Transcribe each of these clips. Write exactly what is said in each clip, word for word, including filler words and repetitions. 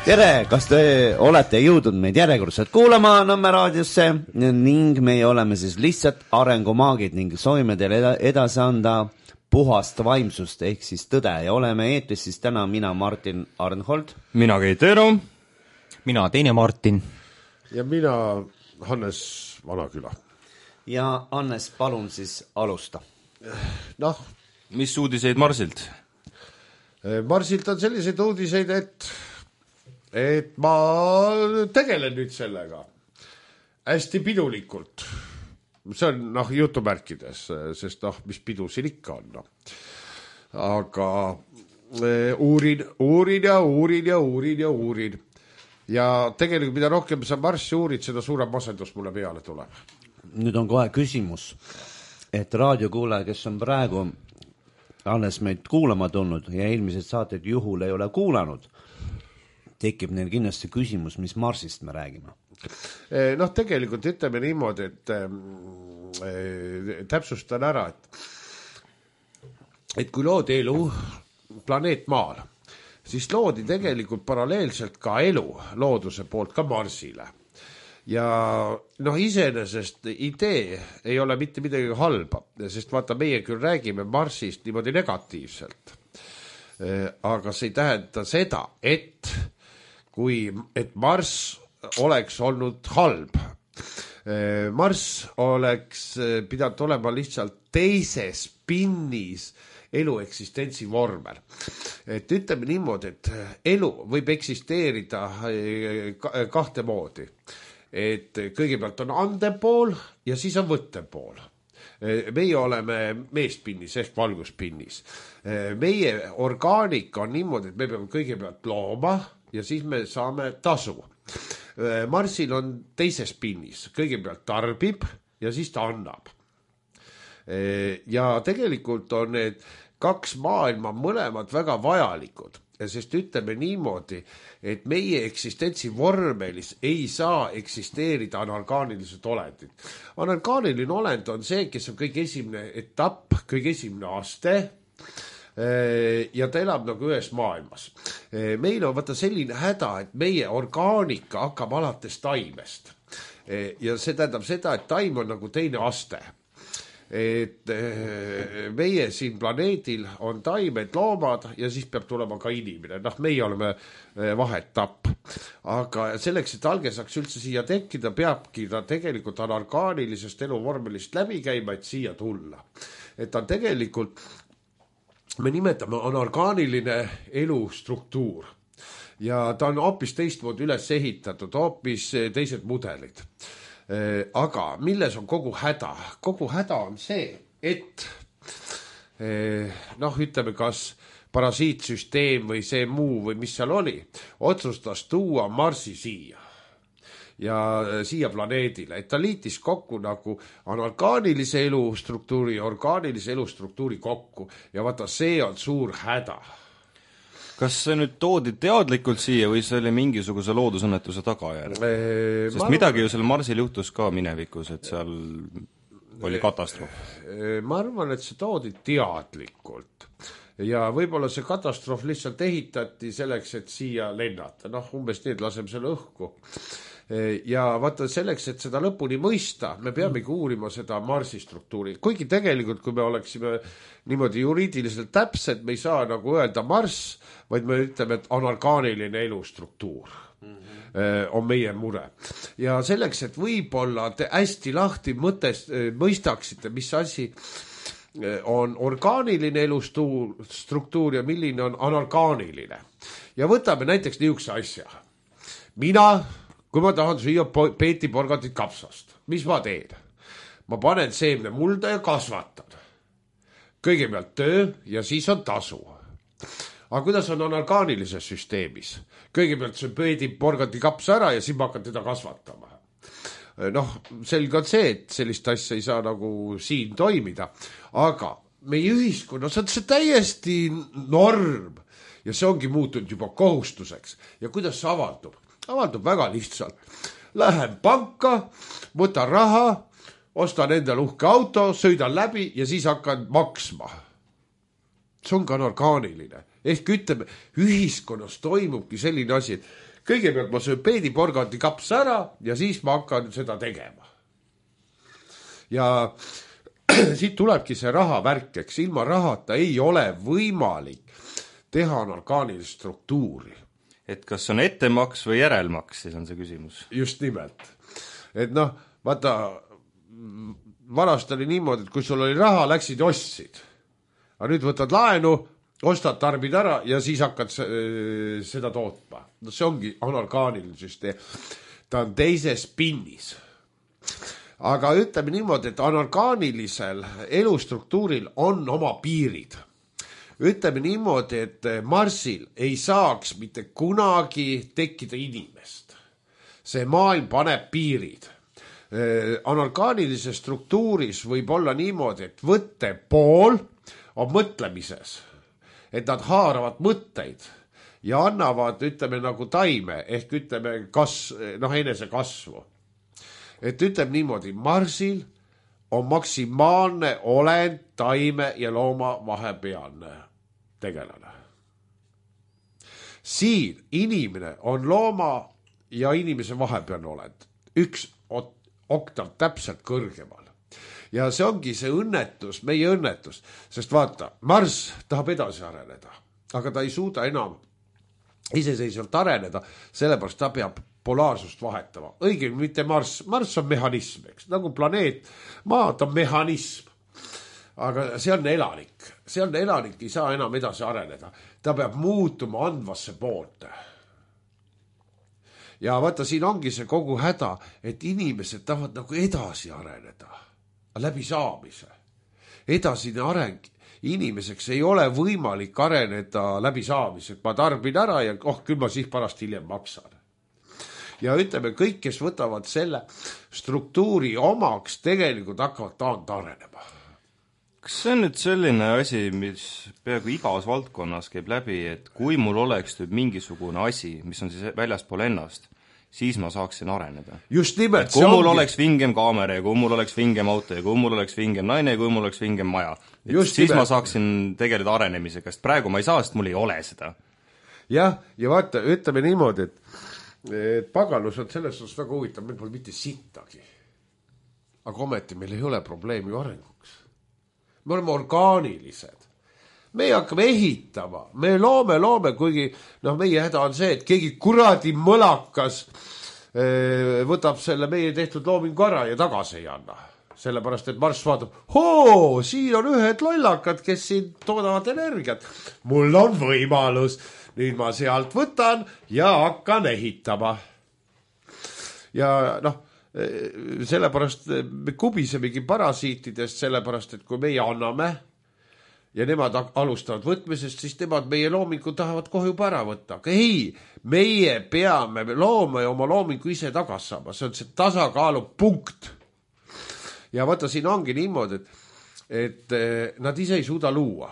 tere, kas te olete jõudnud meid järjekordselt kuulama Nõmme raadiosse ning meie oleme siis lihtsalt arengumaagid ning soovime teile edasi anda puhast vaimsust ehk siis tõde ja oleme eetris siis täna mina Martin Arnhold. Mina Keit Eero. Mina teine Martin. Ja mina Hannes Vanaküla. Ja Hannes, palun siis alusta. Noh, mis uudiseid Marsilt? Marsilt on selliseid uudiseid, et et ma tegelen nüüd sellega hästi pidulikult. See on noh jutumärkides, sest noh, mis pidu siin ikka on. No. Aga e, uurin, uurin ja uurin ja uurin ja uurin. Ja tegelikult mida rohkem sa Marssi uurid, seda suurem masendus mulle peale tuleb. Nüüd on kohe küsimus, et raadiokuulaja, kes on praegu alles meid kuulama tulnud ja eelmised saated juhul ei ole kuulanud, tekib neil kindlasti küsimus, mis Marsist me räägime. Noh, tegelikult ütleme niimoodi, et äh, täpsustan ära, et, et kui loodi elu planeet Maal, siis loodi tegelikult paralleelselt ka elu looduse poolt ka Marsile. Ja noh, iseenesest idee ei ole mitte midagi halba, sest vaata, meie küll räägime Marsist niimoodi negatiivselt. Aga see ei tähenda seda, et kui et Marss oleks olnud halb. Marss oleks pidanud olema lihtsalt teises pinnis elu eksistentsi vormel. Et ütleme niimoodi, et elu võib eksisteerida kahte moodi. Et kõigepealt on andepool ja siis on võttepool. Meie oleme meespinnis ehk valguspinnis. Meie orgaanika on niimoodi, et me peame kõigepealt looma ja siis me saame tasu. Marsil on teises pinnis. Kõigepealt tarbib ja siis ta annab. Ja tegelikult on need kaks maailma mõlemad väga vajalikud. Sest ütleme niimoodi, et meie eksistentsi vormelis ei saa eksisteerida anorgaanilised olendid. Anorgaaniline olend on see, kes on kõige esimene etapp, kõige esimene aste ja ta elab nagu ühes maailmas. Meil on vaata selline häda, et meie orgaanika hakkab alates taimest. Ja see tähendab seda, et taim on nagu teine aste. Et meie siin planeedil on taimed, loomad ja siis peab tulema ka inimene. Noh, meie oleme vahetapp. Aga selleks, et alge saaks üldse siia tekkida, peabki ta tegelikult anorgaanilisest eluvormelist läbi käima, et siia tulla. Et ta tegelikult, me nimetame anorgaaniline elustruktuur. Ja ta on hoopis teistmoodi üles ehitatud, hoopis teised mudelid. Aga milles on kogu häda? Kogu häda on see, et noh, ütleme kas parasiitsüsteem või see muu või mis seal oli, otsustas tuua Marsi siia ja siia planeedile, et ta liitis kokku nagu anorgaanilise elustruktuuri ja orgaanilise elustruktuuri kokku ja vaata, see on suur häda. Kas see nüüd toodi teadlikult siia või see oli mingisuguse loodusõnnetuse tagajärg? Sest ma midagi ju seal Marsil juhtus ka minevikus, et seal oli katastroof. Ma arvan, et see toodi teadlikult. Ja võib-olla see katastroof lihtsalt ehitati selleks, et siia lennata. Noh, umbes need laseme selle õhku. Ja vaata selleks, et seda lõpuni mõista, me peamegi uurima seda Marsi struktuuri. Kuigi tegelikult, kui me oleksime niimoodi juriidiliselt täpsed, me ei saa nagu öelda Marss, vaid me ütleme, et anorgaaniline elustruktuur mm-hmm. on meie mure. Ja selleks, et võib-olla te hästi lahti mõtest, mõistaksite, mis asi on orgaaniline elustruktuur ja milline on anorgaaniline. Ja võtame näiteks niisuguse asja. Mina kui ma tahan süüa peeti porgandit kapsast, mis ma teen? Ma panen seemne mulda ja kasvatan. Kõigepealt töö ja siis on tasu. Aga kuidas on anorgaanilises süsteemis? Kõigepealt see peeti porgandi kaps ära ja siis ma hakkan teda kasvatama. Noh, selge on see, et sellist asja ei saa nagu siin toimida. Aga meie ühiskonnas on see täiesti norm ja see ongi muutunud juba kohustuseks. Ja kuidas see avaldub? Avaldub väga lihtsalt. Lähen panka, võtan raha, ostan endale uhke auto, sõidan läbi ja siis hakkan maksma. See on ka anorgaaniline. Ehk ütleme, ühiskonnas toimubki selline asi, et kõigepealt ma söön peediporgandi kapsa ära ja siis ma hakkan seda tegema. Ja siit tulebki see raha värk, eks ilma rahata ei ole võimalik teha anorgaanilist struktuuri. Et kas on ettemaks või järelmaks, siis on see küsimus. Just nimelt. Et noh, vaata, vanast oli niimoodi, et kui sul oli raha, läksid ja ostsid. Aga nüüd võtad laenu, ostad, tarbid ära ja siis hakkad seda tootma. No see ongi anorgaaniline süsteem. Ta on teises pinnis. Aga ütleme niimoodi, et anorgaanilisel elustruktuuril on oma piirid. Ütleme niimoodi, et Marsil ei saaks mitte kunagi tekkida inimest. See maailm paneb piirid. Anorgaanilises struktuuris võib olla niimoodi, et võtte pool on mõtlemises. Et nad haaravad mõtteid ja annavad, ütleme nagu taime, ehk ütleme kas, noh, enese kasvu. Et ütleme niimoodi, Marsil on maksimaalne olend, taime ja looma vahepealne tegelane. Siin inimene on looma ja inimese vahepealne olend. Üks oktav täpselt kõrgemal. Ja see ongi see õnnetus, meie õnnetus. Sest vaata, Mars tahab edasi areneda, aga ta ei suuda enam iseseisvalt areneda, sellepärast ta peab polaarsust vahetama. Õigem mitte Mars, Mars on mehhanism, eks, nagu planeet, maa on mehhanism. Aga see on elanik, see on elanik, ei saa enam edasi areneda. Ta peab muutuma andvasse poolte. Ja vaata, siin ongi see kogu häda, et inimesed tahavad nagu edasi areneda, läbi saamise. Edasine areng inimeseks ei ole võimalik areneda läbi saamise, et ma tarbin ära ja oh, küll ma siis pärast hiljem maksan. Ja ütleme, kõik, kes võtavad selle struktuuri omaks, tegelikult hakkavad taand arenema. Kas see on nüüd selline asi, mis peaaegu igas valdkonnas käib läbi, et kui mul oleks nüüd mingisugune asi, mis on siis väljaspool ennast, siis ma saaksin areneda? Just nimelt. Kui mul ongi... oleks vingem kaamera ja kui mul oleks vingem auto ja kui mul oleks vingem naine ja kui mul oleks vingem maja, siis nimelt. Ma saaksin tegeleda arenemisega, sest praegu ma ei saa, sest mul ei ole seda. Jah, ja vaata, ütleme niimoodi, et, et pagalus on selles osas väga huvitav, meil pole mitte sittagi. Aga ometi meil ei ole probleemi arenguks. Me oleme orgaanilised. Me hakkame ehitama. Me loome, loome, kuigi noh, meie häda on see, et keegi kuradi mõlakas ee, võtab selle meie tehtud loomingu ära ja tagasi ei anna. Sellepärast, et Mars vaatab, hoo, siin on ühed lollakad, kes siin toodavad energiat. Mul on võimalus. Nüüd ma sealt võtan ja hakkan ehitama. Ja noh, sellepärast me kubisemegi parasiitidest, sellepärast, et kui meie anname ja nemad alustavad võtmisest, siis nemad meie loomingu tahavad kohe juba ära võtta. Aga ei, meie peame looma ja oma loomingu ise tagas saama. See on see tasakaalu punkt. Ja vaata, siin ongi niimoodi, et, et nad ise ei suuda luua.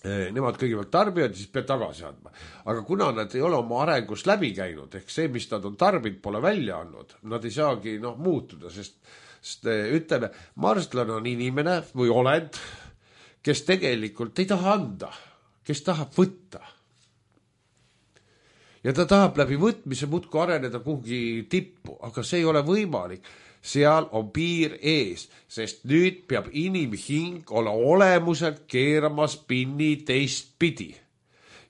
Nemad kõigepealt tarbivad, siis peab tagasi andma. Aga kuna nad ei ole oma arengus läbi käinud, ehk see, mis nad on tarbinud, pole välja andnud, nad ei saagi noh, muutuda, sest, sest ütleme, marslane on inimene või olend, kes tegelikult ei taha anda, kes tahab võtta. Ja ta tahab läbi võtmise muudku areneda kuhugi tippu, aga see ei ole võimalik. Seal on piir ees, sest nüüd peab inimhing olla olemuselt keeramas pinni teist pidi.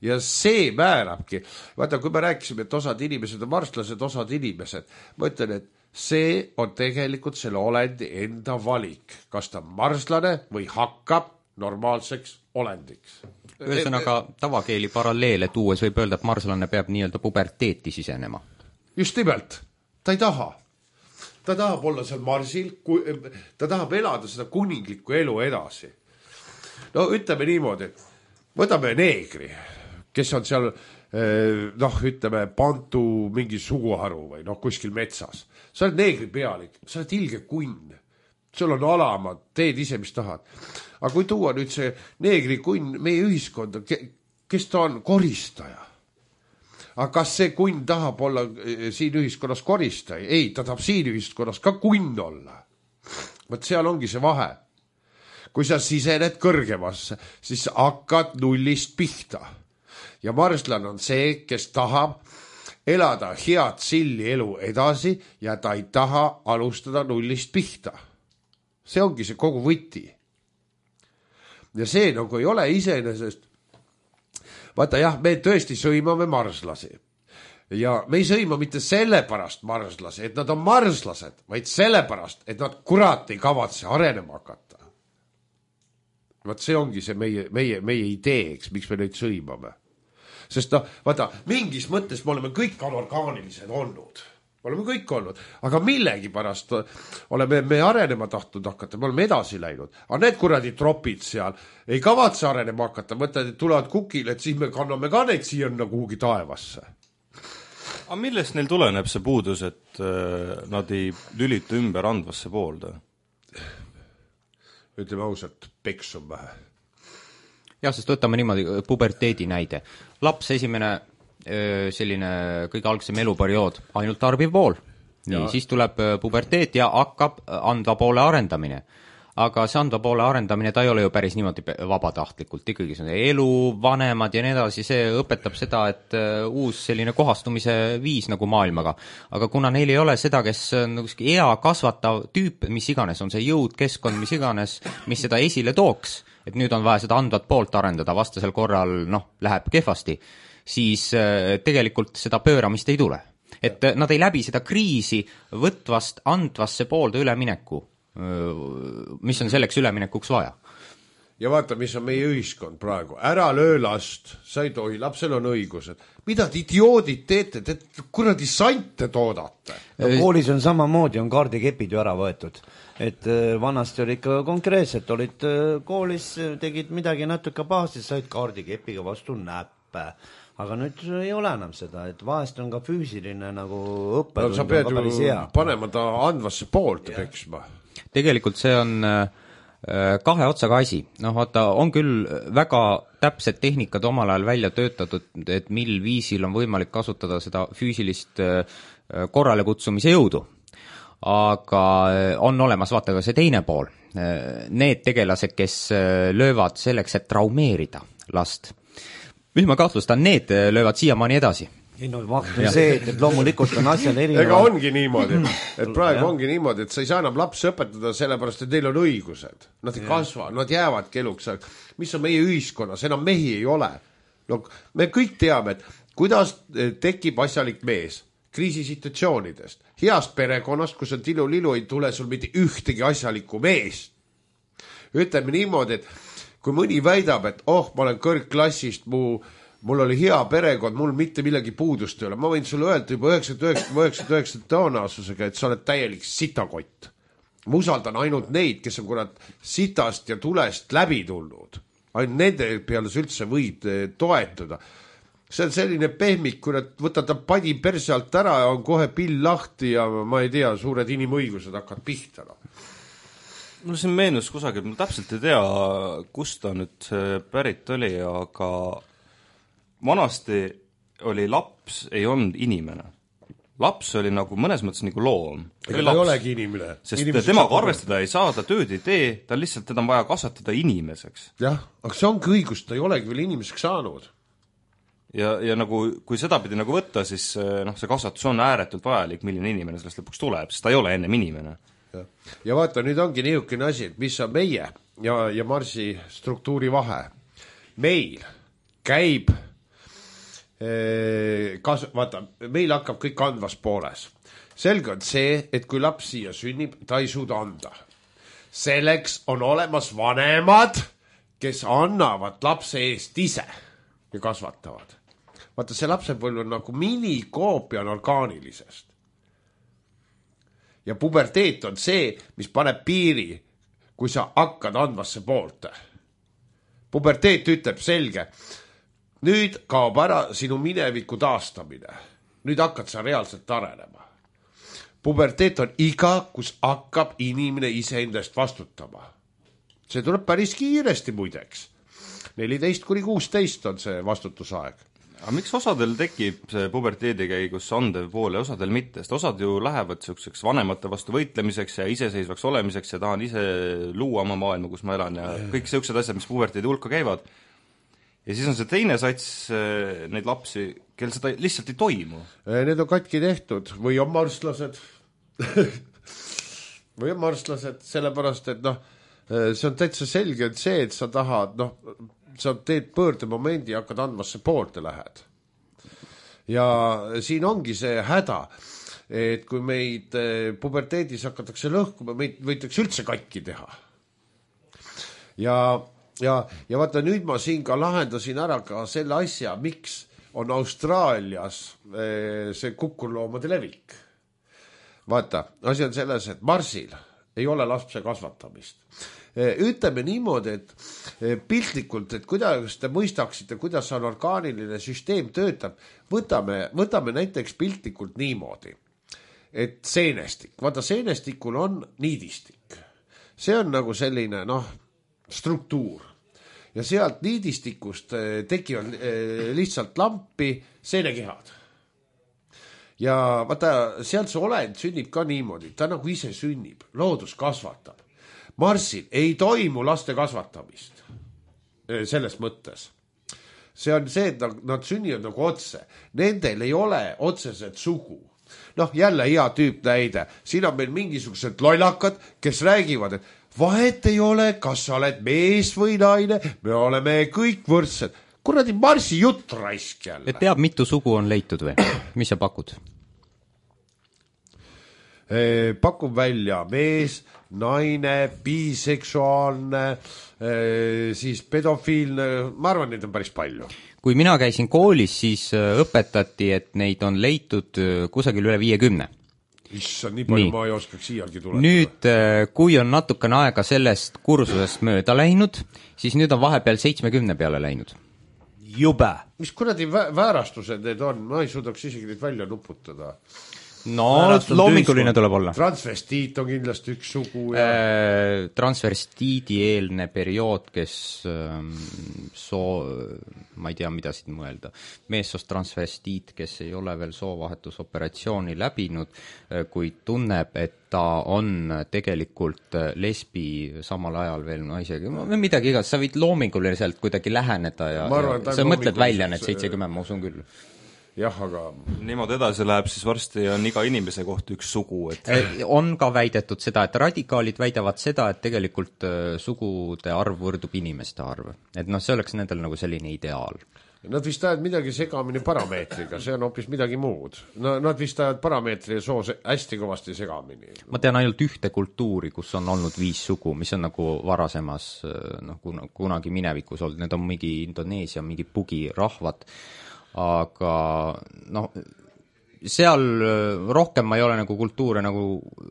Ja see määrabki. Vaata, kui me rääkisime, et osad inimesed on marslased, osad inimesed, ma ütlen, et see on tegelikult selle olendi enda valik. Kas ta on marslane või hakkab normaalseks olendiks. Ühesõnaga tavakeeli paralleele tuues võib öelda, et marslane peab nii-öelda puberteeti sisenema. Just nimelt. Ta ei taha. Ta tahab olla seal Marsil, ta tahab elada seda kuninglikku elu edasi. No ütleme niimoodi, võtame neegri, kes on seal, noh, ütleme, pantu mingi suguharu või noh, kuskil metsas. Sa oled neegri pealik, sa oled ilge kunn, sul on alamad, teed ise, mis tahad. Aga kui tuua nüüd see neegri kunn meie ühiskonda, kes ta on? Koristaja. Aga kas see kunn tahab olla siin ühiskonnas koristaja? Ei, ta tahab siin ühiskonnas ka kunn olla. Võt seal ongi see vahe. Kui sa sisened kõrgemasse, siis hakkad nullist pihta. ja marslane on see, kes tahab elada head silli elu edasi ja ta ei taha alustada nullist pihta. See ongi see kogu võti. Ja see nagu ei ole iseenesest. Vaata jah, me tõesti sõimame marslasi. Ja me ei sõima mitte sellepärast marslasi, et nad on marslased, vaid sellepärast, et nad kurat ei kavatse arenema hakata. Vaat see ongi see meie, meie, meie ideeks, miks me neid sõimame. Sest no, vaata, mingis mõttes me oleme kõik anorgaanilised olnud. Me oleme kõik olnud, aga millegi pärast oleme me arenema tahtnud hakata, me oleme edasi läinud. Aga need kuradi tropid seal ei kavatse arenema hakata, mõtled, et tulevad kukile, et siis me kanname ka neid siia kuhugi taevasse. Aga millest neil tuleneb see puudus, et nad ei lülita ümber andvasse poolda? Ütleme ausalt, peksum vähe. Jah, sest võtame niimoodi puberteedi näide. Laps esimene selline kõige algsem eluperiood, ainult tarbiv pool. Nii, siis tuleb puberteet ja hakkab andva poole arendamine. Aga see andva poole arendamine, ta ei ole ju päris niimoodi vabatahtlikult. Ikkagi see on elu, vanemad ja nii edasi, see õpetab seda, et uus selline kohastumise viis nagu maailmaga. Aga kuna neil ei ole seda, kes on ea kasvatav tüüp, mis iganes on see jõud, keskkond, mis iganes, mis seda esile tooks, et nüüd on vaja seda andvat poolt arendada, vastasel korral noh, läheb kehvasti, siis tegelikult seda pööramist ei tule. Et nad ei läbi seda kriisi võtvast andvasse poolde ülemineku, mis on selleks üleminekuks vaja. Ja vaata, mis on meie ühiskond praegu. Ära löö last, sa ei tohi, lapsel on õigused. Mida te idioodid teete, te kuradi sante toodate? No, koolis on samamoodi, on kaardikepid ju ära võetud. Et vanasti oli ikka konkreetselt, olid koolis, tegid midagi natuke pahasti, said kaardikepiga vastu näppe. Aga nüüd ei ole enam seda, et vahest on ka füüsiline nagu õppetund. No, sa pead ju panema ta andvasse poolt peksma. Tegelikult see on kahe otsaga asi. Noh, vaata, on küll väga täpsed tehnikad omal ajal välja töötatud, et mil viisil on võimalik kasutada seda füüsilist korrale kutsumise jõudu. Aga on olemas, vaata ka see teine pool. Need tegelased, kes löövad selleks, et traumeerida last. Mis ma kahtlustan, need löövad siiamaani edasi. Ei, no vahtu on see, et loomulikult on asjal erinevad. Ega ongi niimoodi, et praegu ongi niimoodi, et sa ei saa enam lapsi õpetada sellepärast, et neil on õigused. Nad ei kasva, nad jäävad keluks. Mis on meie ühiskonnas? Enam mehi ei ole. No, me kõik teame, et kuidas tekib asjalik mees kriisisituatsioonidest. Heast perekonnast, kus on tilu-lilu, ei tule sul mitte ühtegi asjalikku meest. Ütleme niimoodi, et kui mõni väidab, et oh, ma olen kõrgklassist, mu, mul oli hea perekond, mul mitte millegi puudust ei ole. Ma võin sulle öelda juba üheksakümmend üheksa tõenäosusega, et sa oled täielik sitakott. Ma usaldan ainult neid, kes on kurat sitast ja tulest läbi tulnud. Ainult nende peale sa üldse võid toetuda. See on selline pehmik, kurat võtad ta padi perse alt ära ja on kohe pill lahti ja ma ei tea, suured inimõigused hakkad pihta. Mul siin meenus kusagil, ma täpselt ei tea, kust ta nüüd pärit oli, aga vanasti oli laps, ei olnud inimene. Laps oli nagu mõnes mõttes nagu loom. Ega ta ei olegi inimene. Sest Inimeseks temaga arvestada ei saa, ta tööd ei tee, ta lihtsalt teda on vaja kasvatada inimeseks. Jah, aga see ongi õigus, ta ei olegi veel inimeseks saanud. Ja, ja nagu, kui seda pidi nagu võtta, siis noh, see kasvatus on ääretult vajalik, milline inimene sellest lõpuks tuleb, sest ta ei ole ennem inimene. Ja, ja vaata, nüüd ongi niisugune asi, et mis on meie ja, ja Marsi struktuuri vahe. Meil käib, ee, kas, vaata, meil hakkab kõik andvas pooles. Selge on see, et kui laps siia sünnib, ta ei suuda anda. Selleks on olemas vanemad, kes annavad lapse eest ise ja kasvatavad. Vaata, see lapsepõlv on nagu minikoopia orgaanilisest. Ja puberteet on see, mis paneb piiri, kui sa hakkad andvasse poolte. Puberteet ütleb selge, nüüd kaob ära sinu mineviku taastamine. Nüüd hakkad sa reaalselt arenema. Puberteet on iga, kus hakkab inimene iseendast vastutama. See tuleb päris kiiresti muideks. neliteist kuni kuusteist on see vastutusaeg. Aga miks osadel tekib see puberteedi käigus andev pool ja osadel mitte? Sest osad ju lähevad selliseks vanemate vastu võitlemiseks ja iseseisvaks olemiseks ja tahan ise luua oma maailma, kus ma elan ja kõik sellised asjad, mis puberteedi hulka käivad. ja siis on see teine sats neid lapsi, kel seda lihtsalt ei toimu. Need on katki tehtud või on marslased või on marslased, sellepärast, et noh, see on täitsa selge, et see, et sa tahad, noh, sa teed pöördemomendi ja hakkad andmasse poolte lähed. Ja siin ongi see häda, et kui meid puberteedis hakatakse lõhkuma, meid võitakse üldse katki teha. Ja, ja, ja vaata, nüüd ma siin ka lahendasin ära ka selle asja, miks on Austraalias see kukurloomade levik. Vaata, asi on selles, et Marsil ei ole lapse kasvatamist. Ütleme niimoodi, et piltlikult, et kuidas te mõistaksite, kuidas on orgaaniline süsteem töötab, võtame, võtame näiteks piltlikult niimoodi, et seenestik, vaata seenestikul on niidistik. See on nagu selline, noh, struktuur. Ja sealt niidistikust tekivad lihtsalt lampi seenekehad. Ja vaata, sealt see olend sünnib ka niimoodi, ta nagu ise sünnib, loodus kasvatab. Marsil ei toimu laste kasvatamist selles mõttes. See on see, et nad sünnivad nagu otse. Nendel ei ole otseselt sugu. Noh, jälle hea tüüp näide. Siin on meil mingisugused lollakad, kes räägivad, et vahet ei ole, kas sa oled mees või naine, me oleme kõik võrdsed. Kuradi Marsi jutt raisk jälle. Et teab, mitu sugu on leitud või? Mis sa pakud? Pakub välja mees, naine, biseksuaalne, siis pedofiilne, ma arvan, neid on päris palju. Kui mina käisin koolis, siis õpetati, et neid on leitud kusagil üle viiekümne. Issa, nii palju nii. Ma ei oskaks iialgi tuletada. Nüüd, kui on natukene aega sellest kursusest mööda läinud, siis nüüd on vahepeal seitsmekümne peale läinud. Jube. Mis kuradi väärastused need on? Ma ei suudaks isegi neid välja nuputada. No, loominguline tuleb olla. Transvestiit on kindlasti üks sugu. Ja... Transvestiidi eelne periood, kes soo, ma ei tea, mida siit mõelda, meessoost transvestiit, kes ei ole veel soovahetusoperatsiooni läbinud, kuid tunneb, et ta on tegelikult lesbi samal ajal veel naisega. Midagi igas, sa võid loominguliselt kuidagi läheneda ja, arvan, ja sa mõtled välja need seitsekümmend, ma usun küll. Jah, aga... Niimoodi edasi läheb, siis varsti on iga inimese kohta üks sugu. Et... On ka väidetud seda, et radikaalid väidavad seda, et tegelikult sugude arv võrdub inimeste arv. Et noh, see oleks nendel nagu selline ideaal. Nad vist ajad midagi segamini parameetriga, see on hoopis midagi muud. No, nad vist ajad parameetri ja soo hästi kõvasti segamini. Ma tean ainult ühte kultuuri, kus on olnud viis sugu, mis on nagu varasemas, noh, kunagi minevikus olnud. Need on mingi Indoneesia, mingi pugi rahvad. Aga noh, seal rohkem ma ei ole nagu kultuure nagu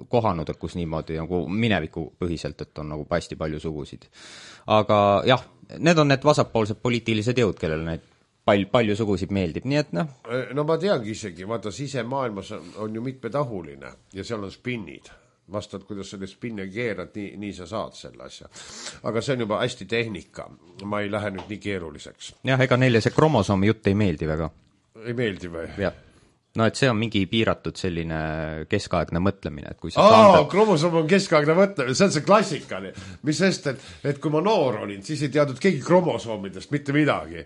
kohanud, et kus niimoodi nagu mineviku põhiselt, et on nagu hästi palju sugusid. Aga jah, need on need vasakpoolsed poliitilised jõud, kellel neid pal- palju sugusid meeldib, nii et noh. No ma teangi isegi, vaata sisemaailmas on, on ju mitmetahuline ja seal on spinnid. Vastad, kuidas selle spinne keerad, nii, nii sa saad selle asja. Aga see on juba hästi tehnika. Ma ei lähe nüüd nii keeruliseks. Jah, ega neile see kromosoomi jutt ei meeldi väga. Ei meeldi või? Jah. No, et see on mingi piiratud selline keskaegne mõtlemine. Et kui sa Aa, saandad... kromosoom on keskaegne mõtlemine, see on see klassikani. Mis sest, et, et kui ma noor olin, siis ei teadnud keegi kromosoomidest mitte midagi.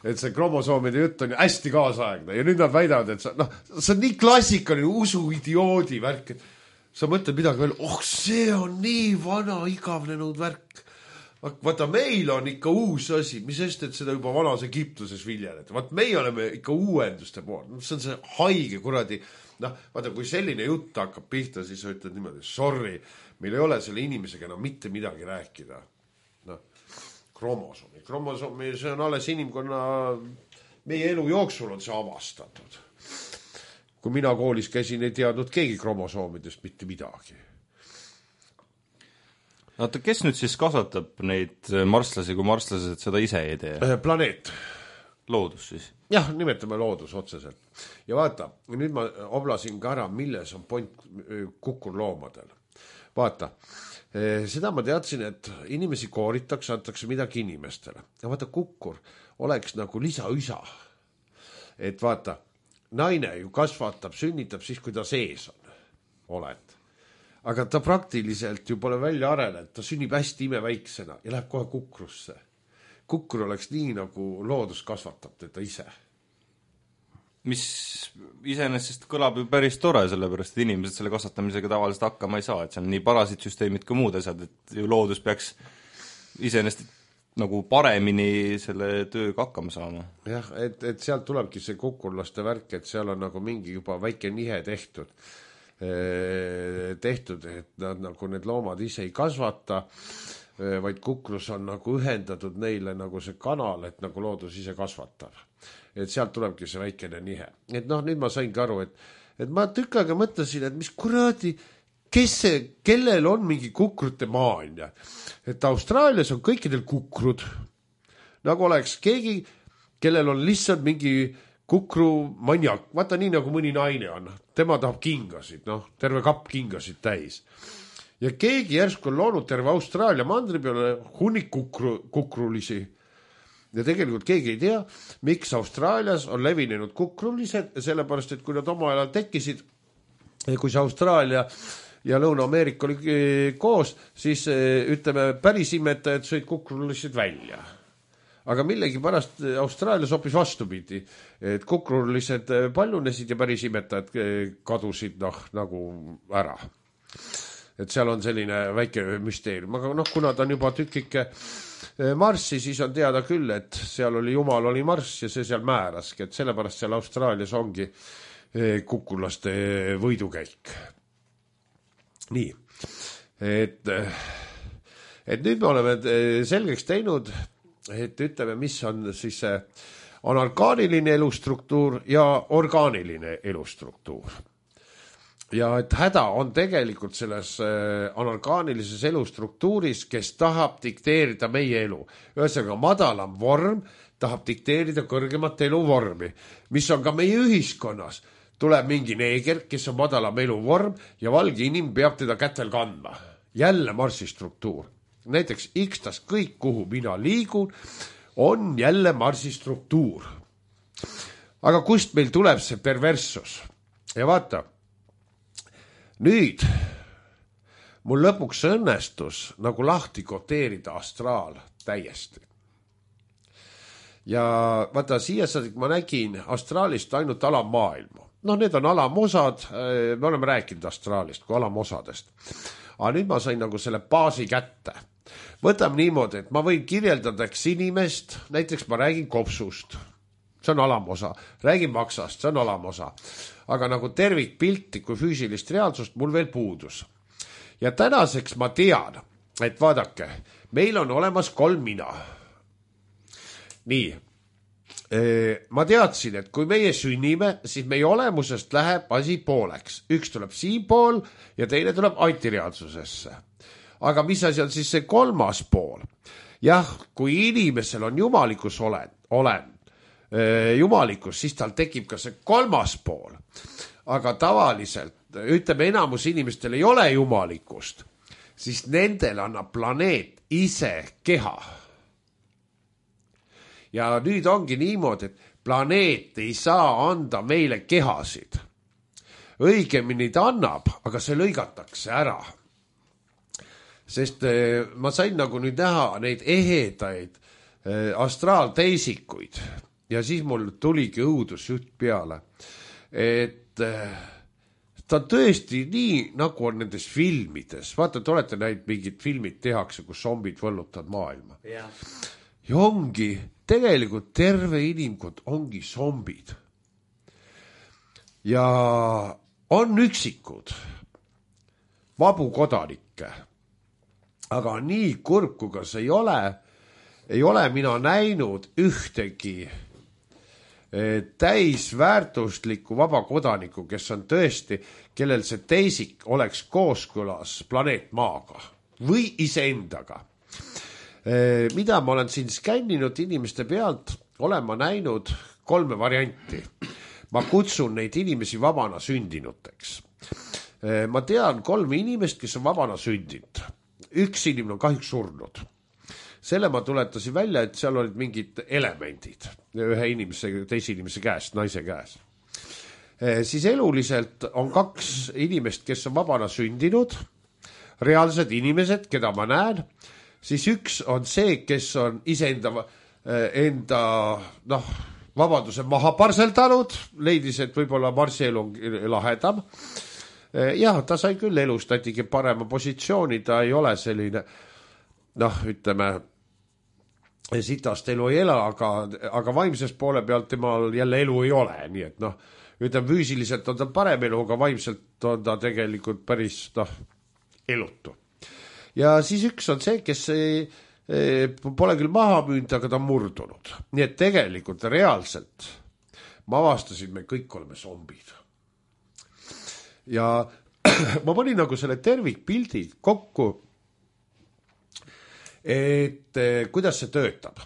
Et see kromosoomide jutt on ju hästi kaasaegne. Ja nüüd nad väidavad, et sa, no, see on nii klassikaline usu idioodi värk, et sa mõtled midagi veel, oh, see on nii vana igavnenud värk. Vaata, meil on ikka uus asi, mis sest, et seda juba vanas Egiptuses viljeleti. Vaat meie oleme ikka uuenduste pool. See on see haige kuradi. Noh, vaata, kui selline jutt hakkab pihta, siis sa ütled niimoodi, sorry, meil ei ole selle inimesega enam mitte midagi rääkida. Noh, kromosoomi. Kromosoomi, see on alles inimkonna, meie elu jooksul on see avastatud. Kui mina koolis käisin, ei teadnud keegi kromosoomidest mitte midagi. Oota, kes nüüd siis kasvatab neid marslasi, kui marslased seda ise ei tee? Planeet. Loodus siis? Jah, nimetame loodus otseselt. Ja vaata, nüüd ma oblasin ka ära, milles on point kukurloomadel. Vaata, seda ma teadsin, et inimesi kooritakse, antakse midagi inimestele. Ja vaata, kukkur oleks nagu lisaüsa. Et vaata, naine ju kasvatab, sünnitab siis, kui ta sees on, oled. Aga ta praktiliselt ju pole välja arenenud, ta sünnib hästi imeväiksena ja läheb kohe kukrusse. kukkur oleks nii, nagu loodus kasvatab teda ise. Mis iseenesest kõlab ju päris tore, sellepärast, et inimesed selle kasvatamisega tavaliselt hakkama ei saa, et see on nii parasiitsüsteemid kui muud asjad, et ju loodus peaks iseenesest nagu paremini selle tööga hakkama saama. Jah, et, et sealt tulebki see kukkurlaste värk, et seal on nagu mingi juba väike nihe tehtud, tehtud, et nad nagu need loomad ise ei kasvata, vaid kukrus on nagu ühendatud neile nagu see kanal, et nagu loodus ise kasvatab. Et sealt tulebki see väikene nihe. Et noh, nüüd ma saingi aru, et, et ma tükk aega mõtlesin, et mis kuradi, kes see, kellel on mingi kukrute maania. Et Austraalias on kõikidel kukrud, nagu oleks keegi, kellel on lihtsalt mingi kukru maniak. Vaata nii, nagu mõni naine on. Tema tahab kingasid, noh, terve kapp kingasid täis. Ja keegi järsku on loonud terve Austraalia mandri peale hunnik kukru, kukrulisi. Ja tegelikult keegi ei tea, miks Austraalias on levinenud kukrulised, sellepärast, et kui nad oma ajal tekkisid, kui see Austraalia ja Lõuna-Ameerika oli koos, siis ütleme, päris imetajad sõid kukrulised välja. Aga millegi pärast Austraalias hoopis vastupidi, et kukrulised paljunesid ja päris imetajad kadusid noh, nagu ära. Et seal on selline väike müsteerium, aga noh, kuna ta on juba tükike Marssi, siis on teada küll, et seal oli Jumal oli Marss ja see seal määraski, et sellepärast seal Austraalias ongi kukulaste võidukäik. Nii, et, et nüüd me oleme selgeks teinud, et ütleme, mis on siis see anorgaaniline elustruktuur ja orgaaniline elustruktuur. Ja et häda on tegelikult selles anorgaanilises elustruktuuris, kes tahab dikteerida meie elu. Ühesõnaga madalam vorm tahab dikteerida kõrgemat eluvormi, mis on ka meie ühiskonnas. Tuleb mingi neeger, kes on madalam eluvorm ja valge inim peab teda kätel kandma. Jälle Marsi struktuur. Näiteks ikstas kõik, kuhu mina liigun, on jälle Marsi struktuur. Aga kust meil tuleb see perverssus? Ja vaata, nüüd mul lõpuks õnnestus nagu lahti koteerida astraal täiesti. Ja vaata, siia saadik ma nägin astraalist ainult alammaailma. No need on alamosad, me oleme rääkinud astraalist kui alamosadest. Aga nüüd ma sain nagu selle baasi kätte. Võtame niimoodi, et ma võin kirjeldadaks inimest, näiteks ma räägin kopsust. See on alamosa. Räägin maksast, see on alamosa. Aga nagu tervikpilti kui füüsilist reaalsust mul veel puudus. Ja tänaseks ma tean, et vaadake, meil on olemas kolm mina. Nii, ma teadsin, et kui meie sünnime, siis meie olemusest läheb asi pooleks. Üks tuleb siin pool ja teine tuleb antireaalsusesse. Aga mis asi on siis see kolmas pool? Jah, kui inimesel on jumalikus olen, olen jumalikus, siis tal tekib ka see kolmas pool. Aga tavaliselt, ütleme, enamus inimestel ei ole jumalikust, siis nendel annab planeet ise keha. Ja nüüd ongi niimoodi, et planeet ei saa anda meile kehasid. Õigemini ta annab, aga see lõigatakse ära. Sest ma sain nagu nüüd näha neid ehedaid astraalteisikuid. Ja siis mul tuligi õudusjutt peale, et ta tõesti nii, nagu on nendes filmides. Vaata, te olete näinud mingid filmid tehakse, kus zombid võllutavad maailma. Ja, ja ongi, tegelikult terve inimkond ongi zombid. Ja on üksikud vabu kodanikke. Aga nii kurb, kui ka see ei ole, ei ole mina näinud ühtegi täisväärtusliku vaba kodaniku, kes on tõesti, kellel see teisik oleks kooskõlas planeet Maaga või iseendaga. Mida ma olen siin skänninud inimeste pealt, olen ma näinud kolme varianti. Ma kutsun neid inimesi vabana sündinuteks. Ma tean kolme inimest, kes on vabana sündinud. Üks inimene on kahjuks surnud. Selle ma tuletasin välja, et seal olid mingid elemendid ühe inimese, teise inimese käest, naise käes. Siis eluliselt on kaks inimest, kes on vabana sündinud, reaalsed inimesed, keda ma näen, siis üks on see, kes on iseenda enda, noh, vabaduse maha parseldanud, leidis, et võib-olla marsielu on lahedam. Jah, ta sai küll elust ätigi parema positsiooni, ta ei ole selline, noh, ütleme, sitast elu ei ela, aga, aga vaimses poole pealt temal jälle elu ei ole, nii et noh, ütleme, füüsiliselt on ta parem elu, aga vaimselt on ta tegelikult päris, noh, elutu. Ja siis üks on see, kes ei, pole küll maha müünud, aga ta on murdunud. Nii et tegelikult reaalselt ma avastasin, me kõik oleme zombid. Ja ma panin nagu selle tervikpildi kokku, et kuidas see töötab.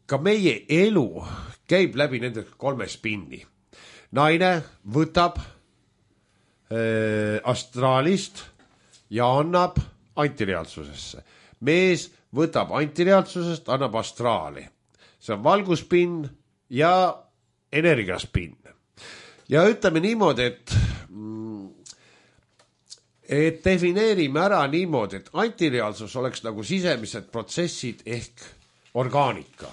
Ka meie elu käib läbi nende kolme spinni. Naine võtab astraalist ja annab antireaalsusesse. Mees võtab antireaalsusest, annab astraali. See on valguspinn ja energiaspinn. Ja ütleme niimoodi, et, et defineerime ära niimoodi, et antireaalsus oleks nagu sisemised protsessid ehk orgaanika.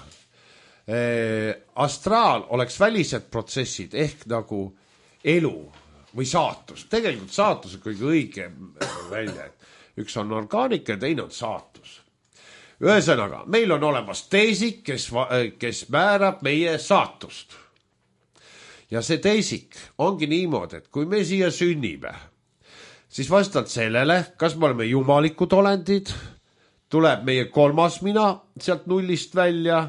Astraal oleks välised protsessid ehk nagu elu või saatus. Tegelikult saatus on kõige õigem välja, et üks on orgaanika ja teine on saatus. Ühesõnaga, meil on olemas teisik, kes, kes määrab meie saatust. Ja see teisik ongi niimoodi, et kui me siia sünnime, siis vastavalt sellele, kas me oleme jumalikud olendid, tuleb meie kolmas mina sealt nullist välja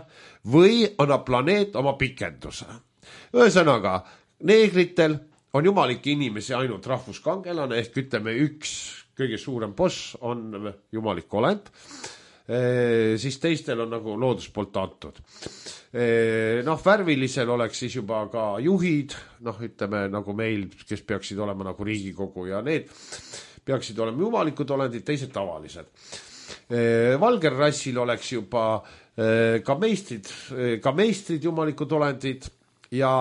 või annab planeet oma pikenduse. Ühesõnaga, neegritel on jumalike inimesi ainult rahvuskangelane ehk ütleme üks kõige suurem boss on jumalik olend, e, siis teistel on nagu loodus poolt antud. E, noh, värvilisel oleks siis juba ka juhid, noh, ütleme nagu meil, kes peaksid olema nagu Riigikogu ja need peaksid olema jumalikud olendid, teised tavalised. E, valger rassil oleks juba e, ka meistrid, ka meistrid jumalikud olendid ja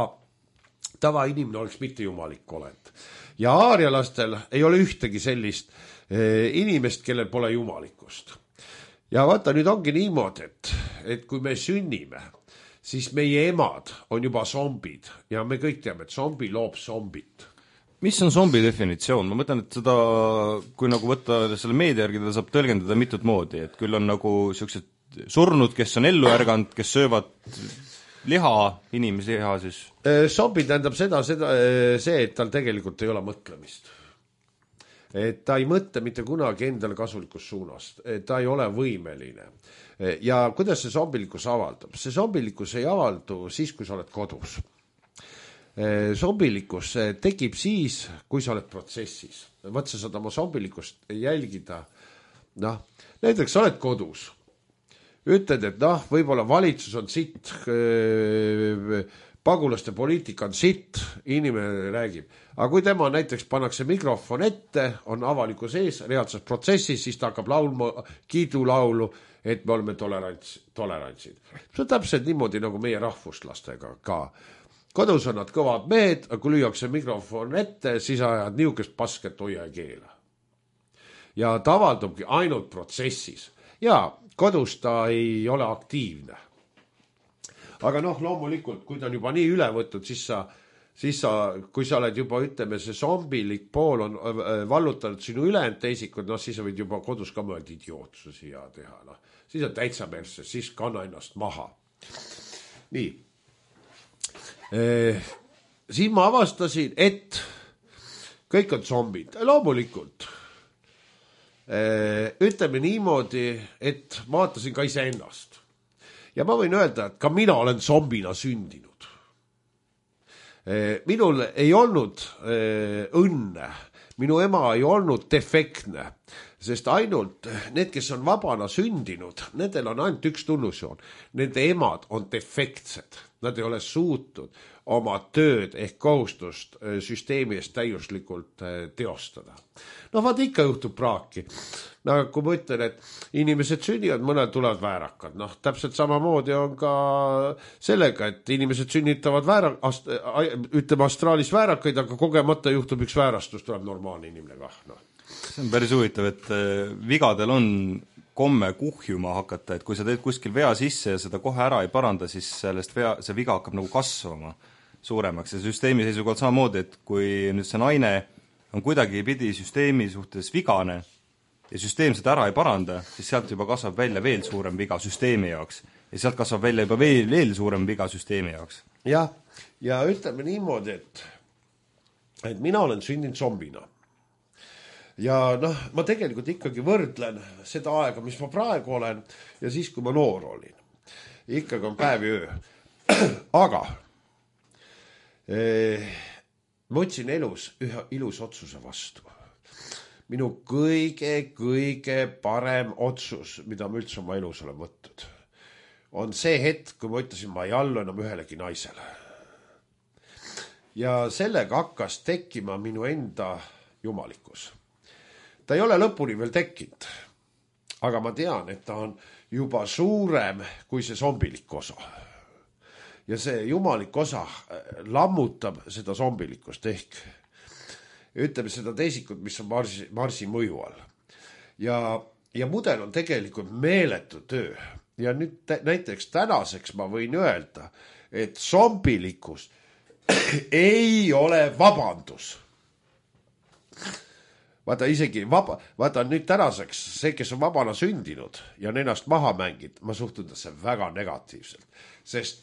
tavainimene oleks mitte jumalik olend. Ja aarialastel ei ole ühtegi sellist eh, inimest, kellel pole jumalikust. Ja vaata, nüüd ongi niimoodi, et, et kui me sünnime, siis meie emad on juba zombid ja me kõik teame, et zombi loob zombit. Mis on zombi definitsioon? Ma mõtlen, et seda, kui nagu võtta selle meedia järgi, teda saab tõlgendada mitut moodi, et küll on nagu sellised surnud, kes on ellu ärganud, kes söövad liha, inimesi liha siis? Zombi tähendab seda, seda, see, et tal tegelikult ei ole mõtlemist. Et ta ei mõtle mitte kunagi endale kasulikus suunast. Ta ei ole võimeline. Ja kuidas see zombilikkus avaldab? See zombilikkus ei avaldu siis, kui sa oled kodus. Zombilikkus tekib siis, kui sa oled protsessis. Võt sa saad oma zombilikkust jälgida. Noh, näiteks sa oled kodus. Ütled, et noh, võib-olla valitsus on sitt, pagulaste poliitika on sitt, inimene räägib. Aga kui tema näiteks pannakse mikrofon ette, on avaliku sees, reaalses protsessis, siis ta hakkab laulma kiidulaulu, et me oleme tolerants, tolerantsid. See on täpselt niimoodi nagu meie rahvuslastega ka. Kodus on nad kõvad mehed, aga kui lüüakse mikrofon ette, siis ajad niukest pasket hoia ja keela. Ja ta avaldubki ainult protsessis. Ja kodus ta ei ole aktiivne. Aga noh, loomulikult, kui ta on juba nii üle võtnud, siis sa, siis sa, kui sa oled juba, ütleme, see zombilik pool on vallutanud sinu ülejäänud teisikud, noh, siis sa võid juba kodus ka mõelda idiootsusi ja teha. No. Siis on täitsa persse, siis kanna ennast maha. Nii. Eh, siin ma avastasin, et kõik on zombid. Loomulikult. Ütleme niimoodi, et vaatasin ka ise ennast. Ja ma võin öelda, et ka mina olen zombina sündinud. Minul ei olnud õnne, minu ema ei olnud defektne, sest ainult need, kes on vabana sündinud, nendel on ainult üks tunnusjoon. Nende emad on defektsed, nad ei ole suutnud oma tööd ehk kohustust süsteemi eest täiuslikult teostada. No vaat ikka juhtub praaki. No, kui ma ütlen, et inimesed sünnivad, mõned tulevad väärakad. Noh, täpselt samamoodi on ka sellega, et inimesed sünnitavad väära, ast, ütleme astraalis väärakaid, aga kogemata juhtub üks väärastus, tuleb normaalne inimene kah. No. See on päris huvitav, et vigadel on komme kuhjuma hakata, et kui sa teed kuskil vea sisse ja seda kohe ära ei paranda, siis sellest vea, see viga hakkab nagu kasvama suuremaks ja süsteemi seisukohalt samamoodi, et kui nüüd see naine on kuidagi pidi süsteemi suhtes vigane ja süsteem seda ära ei paranda, siis sealt juba kasvab välja veel suurem viga süsteemi jaoks ja sealt kasvab välja juba veel, veel suurem viga süsteemi jaoks. jah, ja ütleme niimoodi, et, et mina olen sündinud zombina. Ja noh, ma tegelikult ikkagi võrdlen seda aega, mis ma praegu olen ja siis, kui ma noor olin. Ikkagi on päev ja öö. Aga eh, ma võtsin elus ühe ilus otsuse vastu. Minu kõige, kõige parem otsus, mida ma üldse oma elus olen võtnud, on see hetk, kui ma ütlesin, ma ei allu enam ühelegi naisele. Ja sellega hakkas tekkima minu enda jumalikkus. Ta ei ole lõpuni veel tekkinud, aga ma tean, et ta on juba suurem kui see zombilik osa. Ja see jumalik osa lammutab seda zombilikkust ehk ütleme seda teisikut, mis on Marsi, Marsi mõju all. Ja, ja mudel on tegelikult meeletu töö. Ja nüüd näiteks tänaseks ma võin öelda, et zombilikkus ei ole vabandus. Vaata isegi vaba, vaata nüüd tänaseks see, kes on vabana sündinud ja on ennast maha mängid, ma suhtun see väga negatiivselt. Sest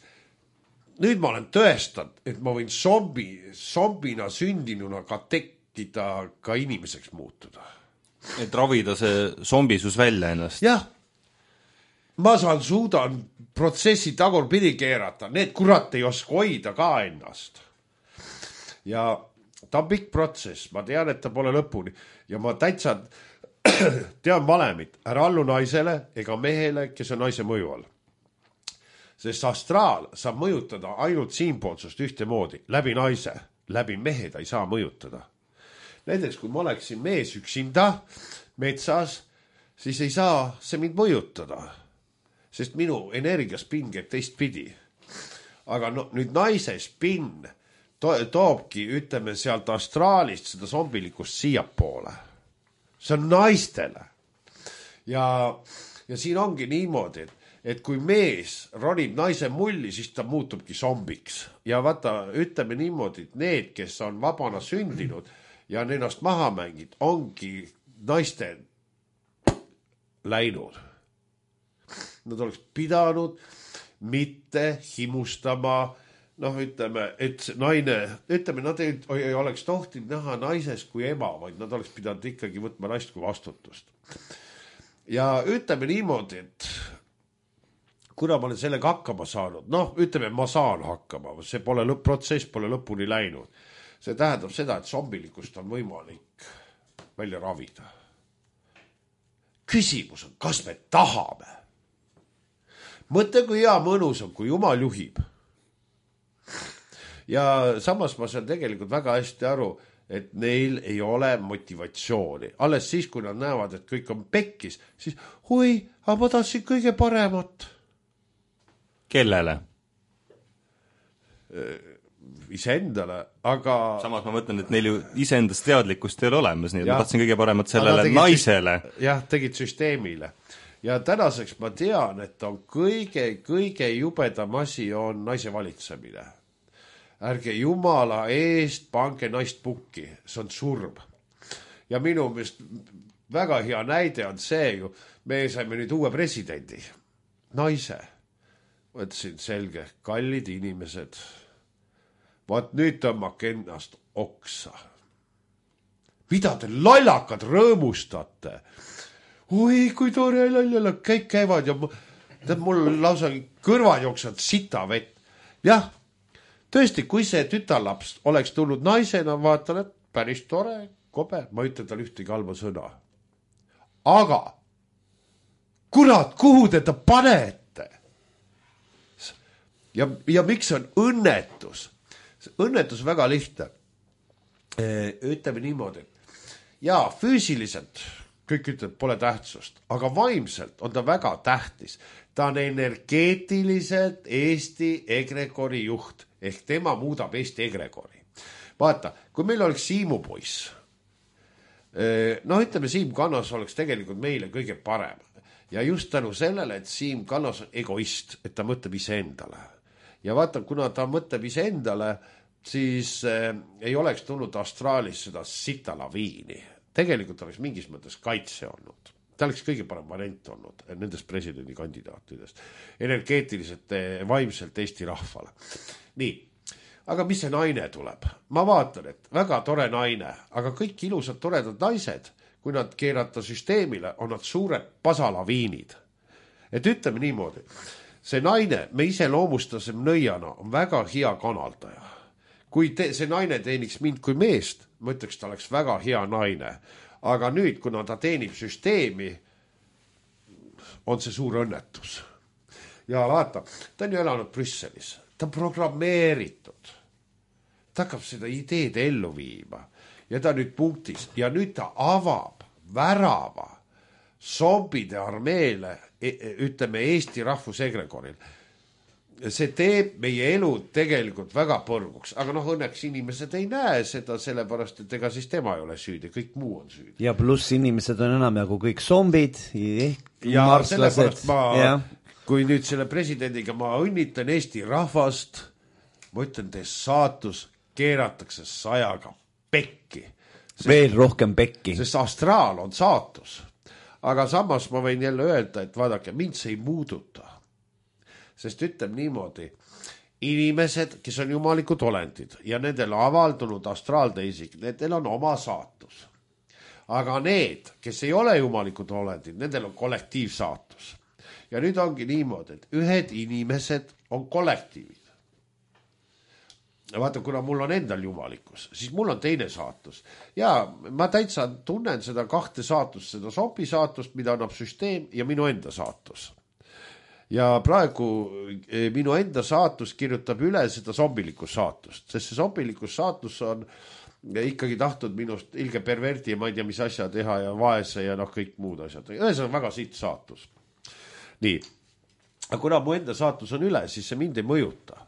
nüüd ma olen tõestanud, et ma võin zombi, zombina sündinuna ka tekkida, ka inimeseks muutuda. Et ravida see zombisus välja ennast. Jah, ma saan suudan protsessi tagurpidi keerata, need kurat ei oska hoida ka ennast. Ja ta on pikk protsess, ma tean, et ta pole lõpuni ja ma täitsa tean valemit, ära allu naisele ega mehele, kes on naise mõju all. Sest astraal saab mõjutada ainult siinpoolsust ühtemoodi, läbi naise, läbi mehe ta ei saa mõjutada. Näiteks, kui ma oleksin mees üksinda metsas, siis ei saa see mind mõjutada, sest minu energiaspinn käib teistpidi. Aga no, nüüd naise spinn to toobki, ütleme, sealt astraalist seda zombilikust siiapoole. See on naistele. Ja, ja siin ongi niimoodi, et, et kui mees ronib naise mulli, siis ta muutubki zombiks. Ja vaata, ütleme niimoodi, et need, kes on vabana sündinud ja on ennast maha mängid, ongi naiste läinud. Nad oleks pidanud mitte himustama, noh, ütleme, et naine, ütleme, nad ei, ei oleks tohtinud näha naises kui ema, vaid nad oleks pidanud ikkagi võtma naist kui vastutust. Ja ütleme niimoodi, et kuna ma olen sellega hakkama saanud, noh, ütleme, ma saan hakkama, see pole lõpp, protsess pole lõpuni läinud. See tähendab seda, et zombilikust on võimalik välja ravida. Küsimus on, kas me tahame? Mõtle, kui hea mõnus on, kui Jumal juhib. Ja samas ma saan tegelikult väga hästi aru, et neil ei ole motivatsiooni. Alles siis, kui nad näevad, et kõik on pekkis, siis oi, aga ma tahtsin kõige paremat. Kellele? Iseendale, aga... Samas ma mõtlen, et neil ju iseendast teadlikkust ei ole olemas, nii et ma tahtsin kõige paremat sellele naisele. Jah, tegid süsteemile. Ja tänaseks ma tean, et on kõige, kõige jubedam asi on naise valitsemine. Ärge Jumala eest pange naist pukki, see on surm. Ja minu meelest väga hea näide on see ju, me saime nüüd uue presidendi, naise. Võtsin selge, kallid inimesed, vaat nüüd tõmmake ennast oksa. Mida te lollakad rõõmustate? Oi, kui tore lollala, kõik käivad ja mul lausa kõrvad jooksvad sita vett. Jah, tõesti, kui see tütarlaps oleks tulnud naisena, vaatan, et päris tore, kobe, ma ütlen tal ühtegi halba sõna. Aga, kurat, kuhu te ta panete? Ja, ja miks on õnnetus? Õnnetus väga lihtne. Ütleme niimoodi, et jaa, füüsiliselt kõik ütleb, pole tähtsust, aga vaimselt on ta väga tähtis. Ta on energeetiliselt Eesti egregori juht, ehk tema muudab Eesti egregori. Vaata, kui meil oleks Siimu poiss, no ütleme, Siim Kannas oleks tegelikult meile kõige parem. ja just tänu sellele, et Siim Kallas on egoist, et ta mõtleb iseendale. Ja vaata, kuna ta mõtleb iseendale, siis äh, ei oleks tulnud Austraalis seda sita laviini. Tegelikult oleks mingis mõttes kaitse olnud. Ta oleks kõige parem variant olnud nendest presidendikandidaatidest. Energeetiliselt, vaimselt Eesti rahvale. Nii, aga mis see naine tuleb? Ma vaatan, et väga tore naine, aga kõik ilusad toredad naised, kui nad keerata süsteemile, on nad suured pasalaviinid. Et ütleme niimoodi, see naine, me ise loomustasem nõiana, on väga hea kanaldaja. Kui te, see naine teeniks mind kui meest, ma ütleks, ta oleks väga hea naine. Aga nüüd, kuna ta teenib süsteemi, on see suur õnnetus. Ja vaata, ta on ju elanud Brüsselis. Ta on programmeeritud. Ta hakkab seda ideed ellu viima. Ja ta nüüd punktis. Ja nüüd ta avab värava zombide armeele, ütleme Eesti rahvusegregoril. See teeb meie elu tegelikult väga põrguks, aga noh, õnneks inimesed ei näe seda, sellepärast, et ega siis tema ei ole süüdi, kõik muu on süüdi. Ja pluss inimesed on enam jagu kõik zombid, ja sellepärast ma, ja. Kui nüüd selle presidendiga ma õnnitlen Eesti rahvast, ma ütlen, teie saatus keeratakse sajaga pekki. Sest, veel rohkem pekki. Sest astraal on saatus. Aga samas ma võin jälle öelda, et vaadake, mind see ei muuduta. Sest ütlem niimoodi, inimesed, kes on jumalikud olendid ja nendel avaldunud astraalteisik, nendel on oma saatus. Aga need, kes ei ole jumalikud olendid, nendel on kollektiivsaatus. Ja nüüd ongi niimoodi, et ühed inimesed on kollektiivid. Ja vaata, kuna mul on endal jumalikus, siis mul on teine saatus. Ja ma täitsa tunnen seda kahte saatust, seda sopi saatust, mida annab süsteem ja minu enda saatus. Ja praegu minu enda saatus kirjutab üle seda zombilikus saatust, sest see zombilikus saatus on ikkagi tahtnud minust ilge perverdi ja ma ei tea, mis asja teha ja vaese ja noh, kõik muud asjad. Ühesõnaga väga siit saatus. Nii, aga kuna mu enda saatus on üle, siis see mind ei mõjuta.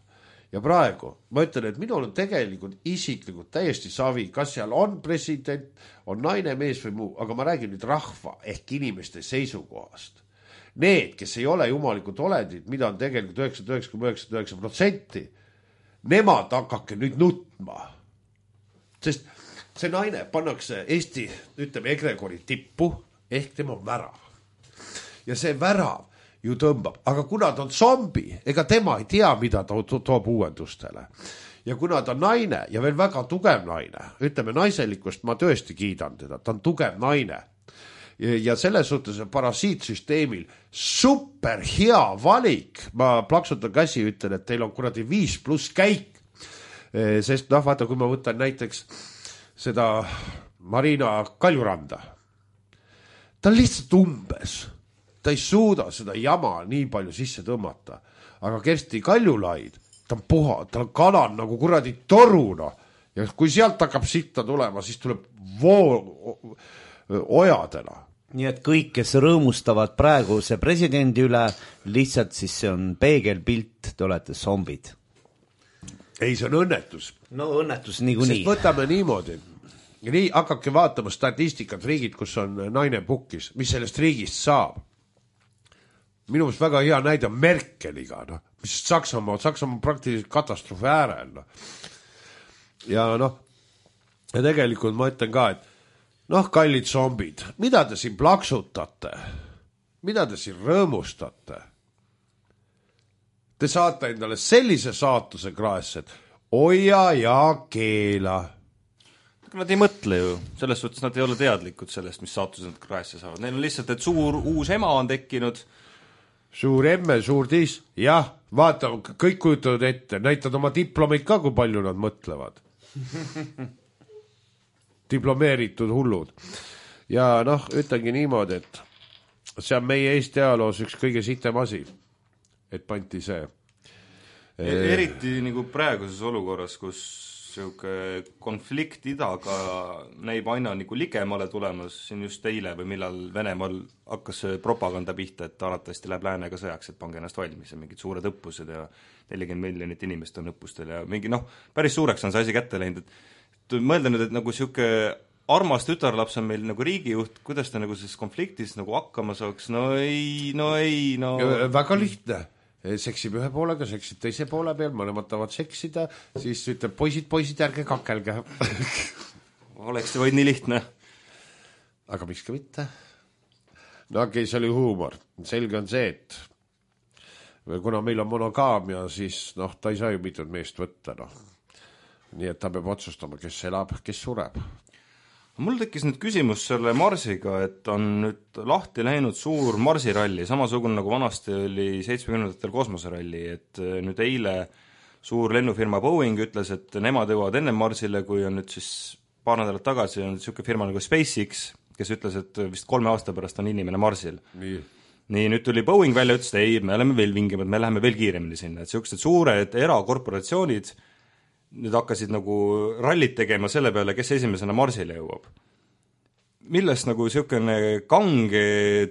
Ja praegu ma ütlen, et minul on tegelikult isiklikult täiesti savi, kas seal on president, on naine, mees või muu, aga ma räägin nüüd rahva ehk inimeste seisukohast. Need, kes ei ole jumalikud olendid, mida on tegelikult üheksakümmend üheksa koma üheksakümmend üheksa protsenti, nemad hakake nüüd nutma. Sest see naine pannakse Eesti, ütleme, egregori tippu, ehk tema on värav. Ja see värav ju tõmbab, aga kuna ta on zombi, ega tema ei tea, mida ta toob uuendustele. Ja kuna ta on naine ja veel väga tugev naine, ütleme, naiselikust ma tõesti kiidan teda, ta on tugev naine. Ja selles suhtes parasiitsüsteemil super hea valik. Ma plaksutan käsi, ütlen, et teil on kuradi viis pluss käik. Sest noh, vaata, kui ma võtan näiteks seda Marina Kaljuranda. Ta on lihtsalt umbes. Ta ei suuda seda jama nii palju sisse tõmmata. Aga Kersti Kaljulaid, ta on puha, ta on kalan nagu kuradi toruna. Ja kui sealt hakkab sitta tulema, siis tuleb voo ojadena. Nii et kõik, kes rõõmustavad praeguse presidendi üle, lihtsalt siis see on peegelpilt, te olete zombid. Ei, see on õnnetus. No õnnetus niikuinii. Sest võtame niimoodi. Nii hakkabki vaatama statistikat riigid, kus on naine pukkis. Mis sellest riigist saab? Minu meelest väga hea näide on Merkeliga. No. Mis Saksamaa, Saksamaa on praktiliselt katastroofi äärel. No. Ja noh, ja tegelikult ma ütlen ka, et noh, kallid zombid, mida te siin plaksutate? Mida te siin rõõmustate? Te saate endale sellise saatuse kraesse, et oja ja keela. Nad ei mõtle ju, selles suhtes nad ei ole teadlikud sellest, mis saatuse nad kraesse saavad. Neil on lihtsalt, et suur uus ema on tekkinud. Suur emme, suur tis. Jah, vaata, kõik kujutavad ette. Näitad oma diplomeid ka, kui palju nad mõtlevad. Diplomeeritud hullud. Ja noh, ütlengi niimoodi, et see on meie Eesti ajaloos üks kõige sitem asi, et panti see. Eriti nagu praeguses olukorras, kus siuke konflikt idaga näib aina nagu ligemale tulemas, siin just eile või millal Venemaal hakkas propaganda pihta, et arvatavasti läheb läänega sõjaks, et pange ennast valmis ja mingid suured õppused ja nelikümmend miljonit inimest on õppustel ja mingi noh, päris suureks on see asi kätte läinud, et mõelda nüüd, et nagu siuke armas tütarlaps on meil nagu riigijuht, kuidas ta nagu siis konfliktis nagu hakkama saaks, no ei, no ei, no väga lihtne, seksib ühe poolega, seksib teise poole peal, mõlemad tahavad seksida, siis ütleb poisid, poisid, ärge kakelge. Oleks see vaid nii lihtne. Aga miks ka mitte? No okei, see oli huumor. Selge on see, et kuna meil on monogaamia, siis noh, ta ei saa ju mitut meest võtta, noh. Nii et ta peab otsustama, kes elab, kes sureb. Mul tekkis nüüd küsimus selle Marsiga, et on nüüd lahti läinud suur Marsiralli, samasugune nagu vanasti oli seitsmekümnendatel kosmoseralli, et nüüd eile suur lennufirma Boeing ütles, et nemad jõuavad enne Marsile, kui on nüüd siis paar nädalat tagasi on niisugune firma nagu SpaceX, kes ütles, et vist kolme aasta pärast on inimene Marsil. Nii. Nii, nüüd tuli Boeing välja, ütles, et ei, me oleme veel vingemad, me läheme veel kiiremini sinna, et niisugused suured erakorporatsioonid nüüd hakkasid nagu rallit tegema selle peale, kes esimesena Marsile jõuab. Millest nagu niisugune kange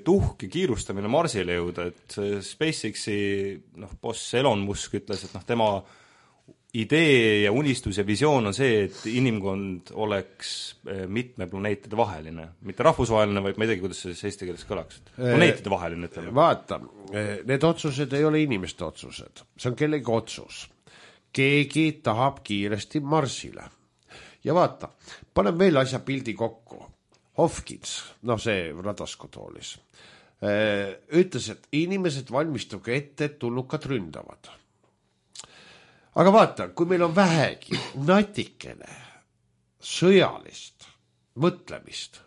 tuhk ja kiirustamine Marsile jõuda, et SpaceXi noh, boss Elon Musk ütles, et noh, tema idee ja unistus ja visioon on see, et inimkond oleks mitme planeetide vaheline. Mitte rahvusvaheline, vaid ma ei teagi, kuidas see eesti keeles kõlaks. Planeetide vaheline, ütleme. Vaata, need otsused ei ole inimeste otsused. See on kellegi otsus. Keegi tahab kiiresti Marsile. Ja vaata, panen veel asja pildi kokku. Hopkins, noh see radaskutoolis, ütles, et inimesed valmistuge ette, et tulnukad ründavad. Aga vaata, kui meil on vähegi natikene sõjalist mõtlemist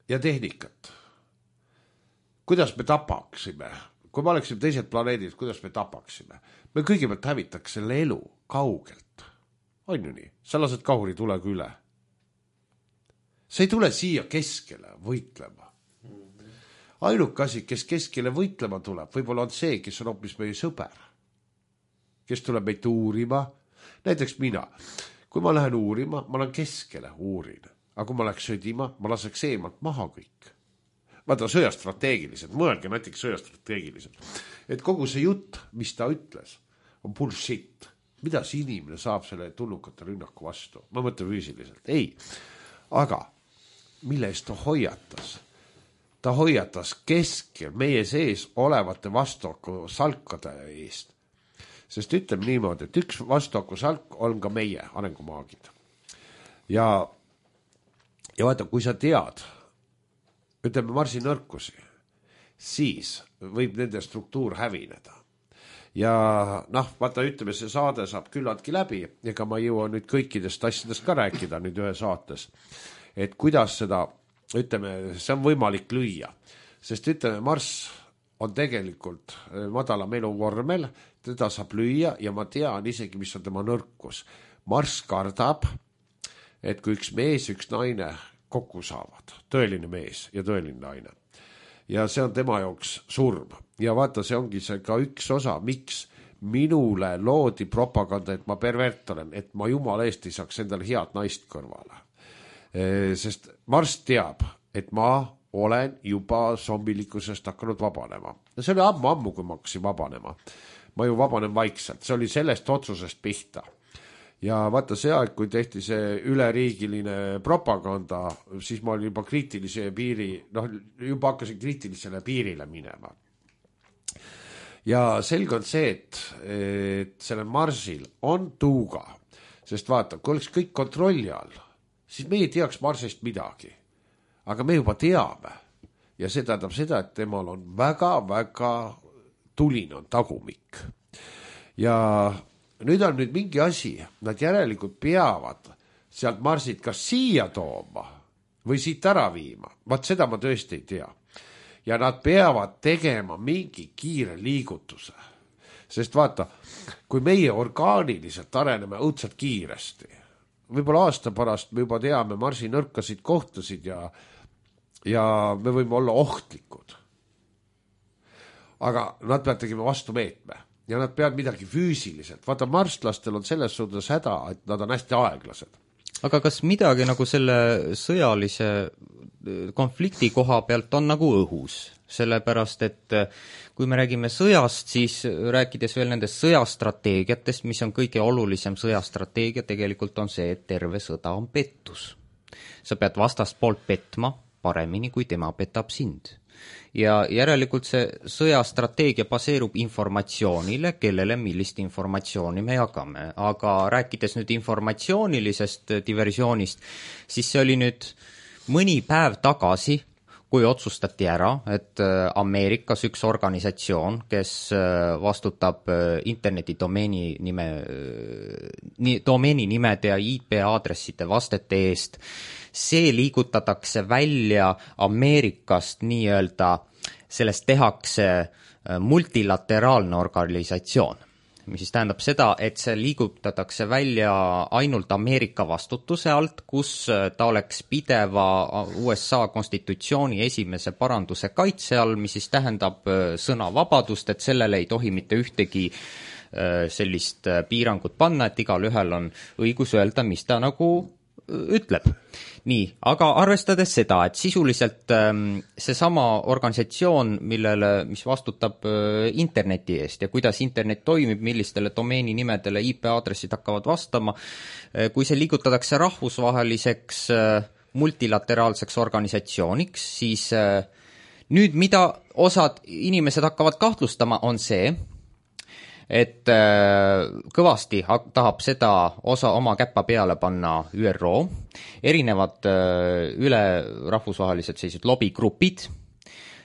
ja tehnikat, kuidas me tapaksime, kui me oleksime teised planeedid, kuidas me tapaksime, me kõigepealt hävitaks selle elu kaugelt. On ju nii? Sa lased kahuri tulega üle. See ei tule siia keskele võitlema. Ainuke asi, kes keskele võitlema tuleb, võib-olla on see, kes on hoopis meie sõber. Kes tuleb meid uurima. Näiteks mina. Kui ma lähen uurima, ma lähen keskele uurin. Aga kui ma läks sõdima, ma laseks eemalt maha kõik. Vaata sõjastrateegiliselt, mõelge näiteks sõjastrateegiliselt. Et kogu see jutt, mis ta ütles, on bullshit. Mida see inimene saab selle tulnukate rünnaku vastu? Ma mõtlen füüsiliselt. Ei. Aga mille eest ta hoiatas? Ta hoiatas keskel meie sees olevate vastuaku salkade eest. Sest ütleme niimoodi, et üks vastuaku salk on ka meie arengumaagid. Ja, ja vaata, kui sa tead, ütleme Marsi nõrkusi, siis võib nende struktuur hävineda. Ja noh, vaata, ütleme, see saade saab küllaltki läbi, ega ma jõua nüüd kõikidest asjadest ka rääkida nüüd ühe saates, et kuidas seda, ütleme, see on võimalik lüüa. Sest ütleme, Marss on tegelikult madalam eluvormel, teda saab lüüa ja ma tean isegi, mis on tema nõrkus. Marss kardab, et kui üks mees, üks naine kokku saavad, tõeline mees ja tõeline naine. Ja see on tema jaoks surm. Ja vaata, see ongi see ka üks osa, miks minule loodi propaganda, et ma pervert olen, et ma jumala eest ei saaks endale head naist kõrvale. Sest Marss teab, et ma olen juba zombilikkusest hakanud vabanema. Ja see oli ammu-ammu, kui ma hakkasin vabanema. Ma ju vabanen vaikselt, see oli sellest otsusest pihta. Ja vaata see aeg, kui tehti see üleriigiline propaganda, siis ma olin juba kriitilise piiri, noh, juba hakkasin kriitilisele piirile minema. Ja selge on see, et, et selle Marsil on tuuga, sest vaata, kui oleks kõik kontrolli all, siis me ei teaks Marsist midagi. Aga me juba teame. Ja see tähendab seda, et temal on väga-väga tuline on tagumik. Ja nüüd on nüüd mingi asi, nad järelikult peavad sealt Marsilt kas siia tooma või siit ära viima. Vaat seda ma tõesti ei tea. Ja nad peavad tegema mingi kiire liigutuse. Sest vaata, kui meie orgaaniliselt areneme õudselt kiiresti, võib-olla aasta pärast me juba teame Marsi nõrkasid kohtasid ja, ja me võime olla ohtlikud. Aga nad peavad tegema vastumeetme. Ja nad peavad midagi füüsiliselt. Vaata, marslastel on selles suhtes häda, et nad on hästi aeglased. Aga kas midagi nagu selle sõjalise konflikti koha pealt on nagu õhus? sellepärast et kui me räägime sõjast, siis rääkides veel nendest sõjastrateegiatest, mis on kõige olulisem sõjastrateegia, tegelikult on see, et terve sõda on pettus. Sa pead vastast poolt petma paremini, kui tema petab sind. Ja järelikult see sõjastrateegia baseerub informatsioonile, kellele millist informatsiooni me jagame. Aga rääkides nüüd informatsioonilisest diversioonist, siis see oli nüüd mõni päev tagasi, kui otsustati ära, et Ameerikas üks organisatsioon, kes vastutab interneti domeeni nime, domeeni nimede ja I P aadresside vastete eest, see liigutatakse välja Ameerikast nii-öelda, sellest tehakse multilateraalne organisatsioon, mis siis tähendab seda, et see liigutatakse välja ainult Ameerika vastutuse alt, kus ta oleks pideva U S A konstitutsiooni esimese paranduse kaitse all, mis siis tähendab sõnavabadust, et sellele ei tohi mitte ühtegi sellist piirangut panna, et igal ühel on õigus öelda, mis ta nagu ütleb. Nii, aga arvestades seda, et sisuliselt seesama organisatsioon, millele, mis vastutab interneti eest ja kuidas internet toimib, millistele domeeni nimedele I P aadressid hakkavad vastama, kui see liigutatakse rahvusvaheliseks multilateraalseks organisatsiooniks, siis nüüd mida osad inimesed hakkavad kahtlustama, on see, et kõvasti tahab seda osa oma käppa peale panna Ü R O, erinevad üle rahvusvahelised sellised lobigrupid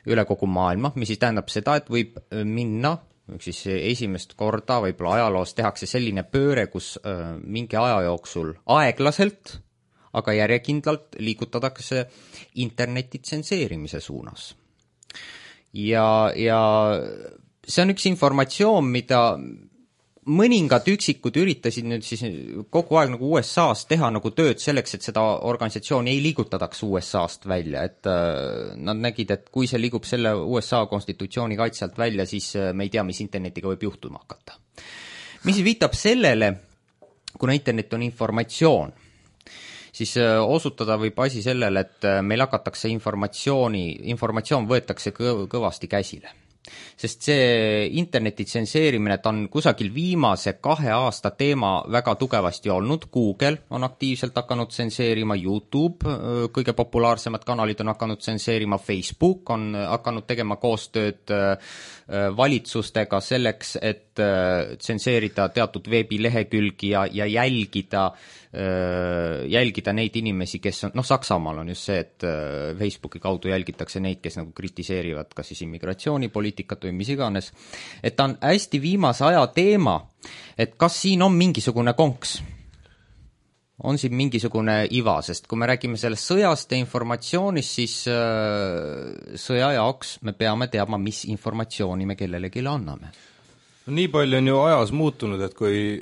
üle kogu maailma, mis siis tähendab seda, et võib minna, siis esimest korda võib-olla ajaloos tehakse selline pööre, kus mingi aja jooksul aeglaselt, aga järjekindlalt liigutatakse interneti tsenseerimise suunas. Ja, ja see on üks informatsioon, mida mõningad üksikud üritasid nüüd siis kogu aeg nagu U S A-s teha nagu tööd selleks, et seda organisatsiooni ei liigutadaks U S A-st välja, et nad nägid, et kui see liigub selle U S A konstitutsiooni kaitselt välja, siis me ei tea, mis internetiga võib juhtuma hakata. Mis viitab sellele, kuna internet on informatsioon, siis osutada võib asi sellele, et meil hakatakse informatsiooni, informatsioon võetakse kõ- kõvasti käsile. Sest see interneti tsenseerimine, ta on kusagil viimase kahe aasta teema väga tugevasti olnud. Google on aktiivselt hakanud tsenseerima, YouTube, kõige populaarsemad kanalid on hakanud tsenseerima, Facebook on hakanud tegema koostööd valitsustega selleks, et tsenseerida teatud veebilehekülgi ja, ja jälgida, jälgida neid inimesi, kes on, noh, Saksamaal on just see, et Facebooki kaudu jälgitakse neid, kes nagu kritiseerivad kas siis immigratsioonipoliitikat või mis iganes, et ta on hästi viimase aja teema, et kas siin on mingisugune konks, on siin mingisugune iva, sest kui me räägime sellest sõjast ja informatsioonist, siis sõja jaoks me peame teadma, mis informatsiooni me kellelegi anname. No, nii palju on ju ajas muutunud, et kui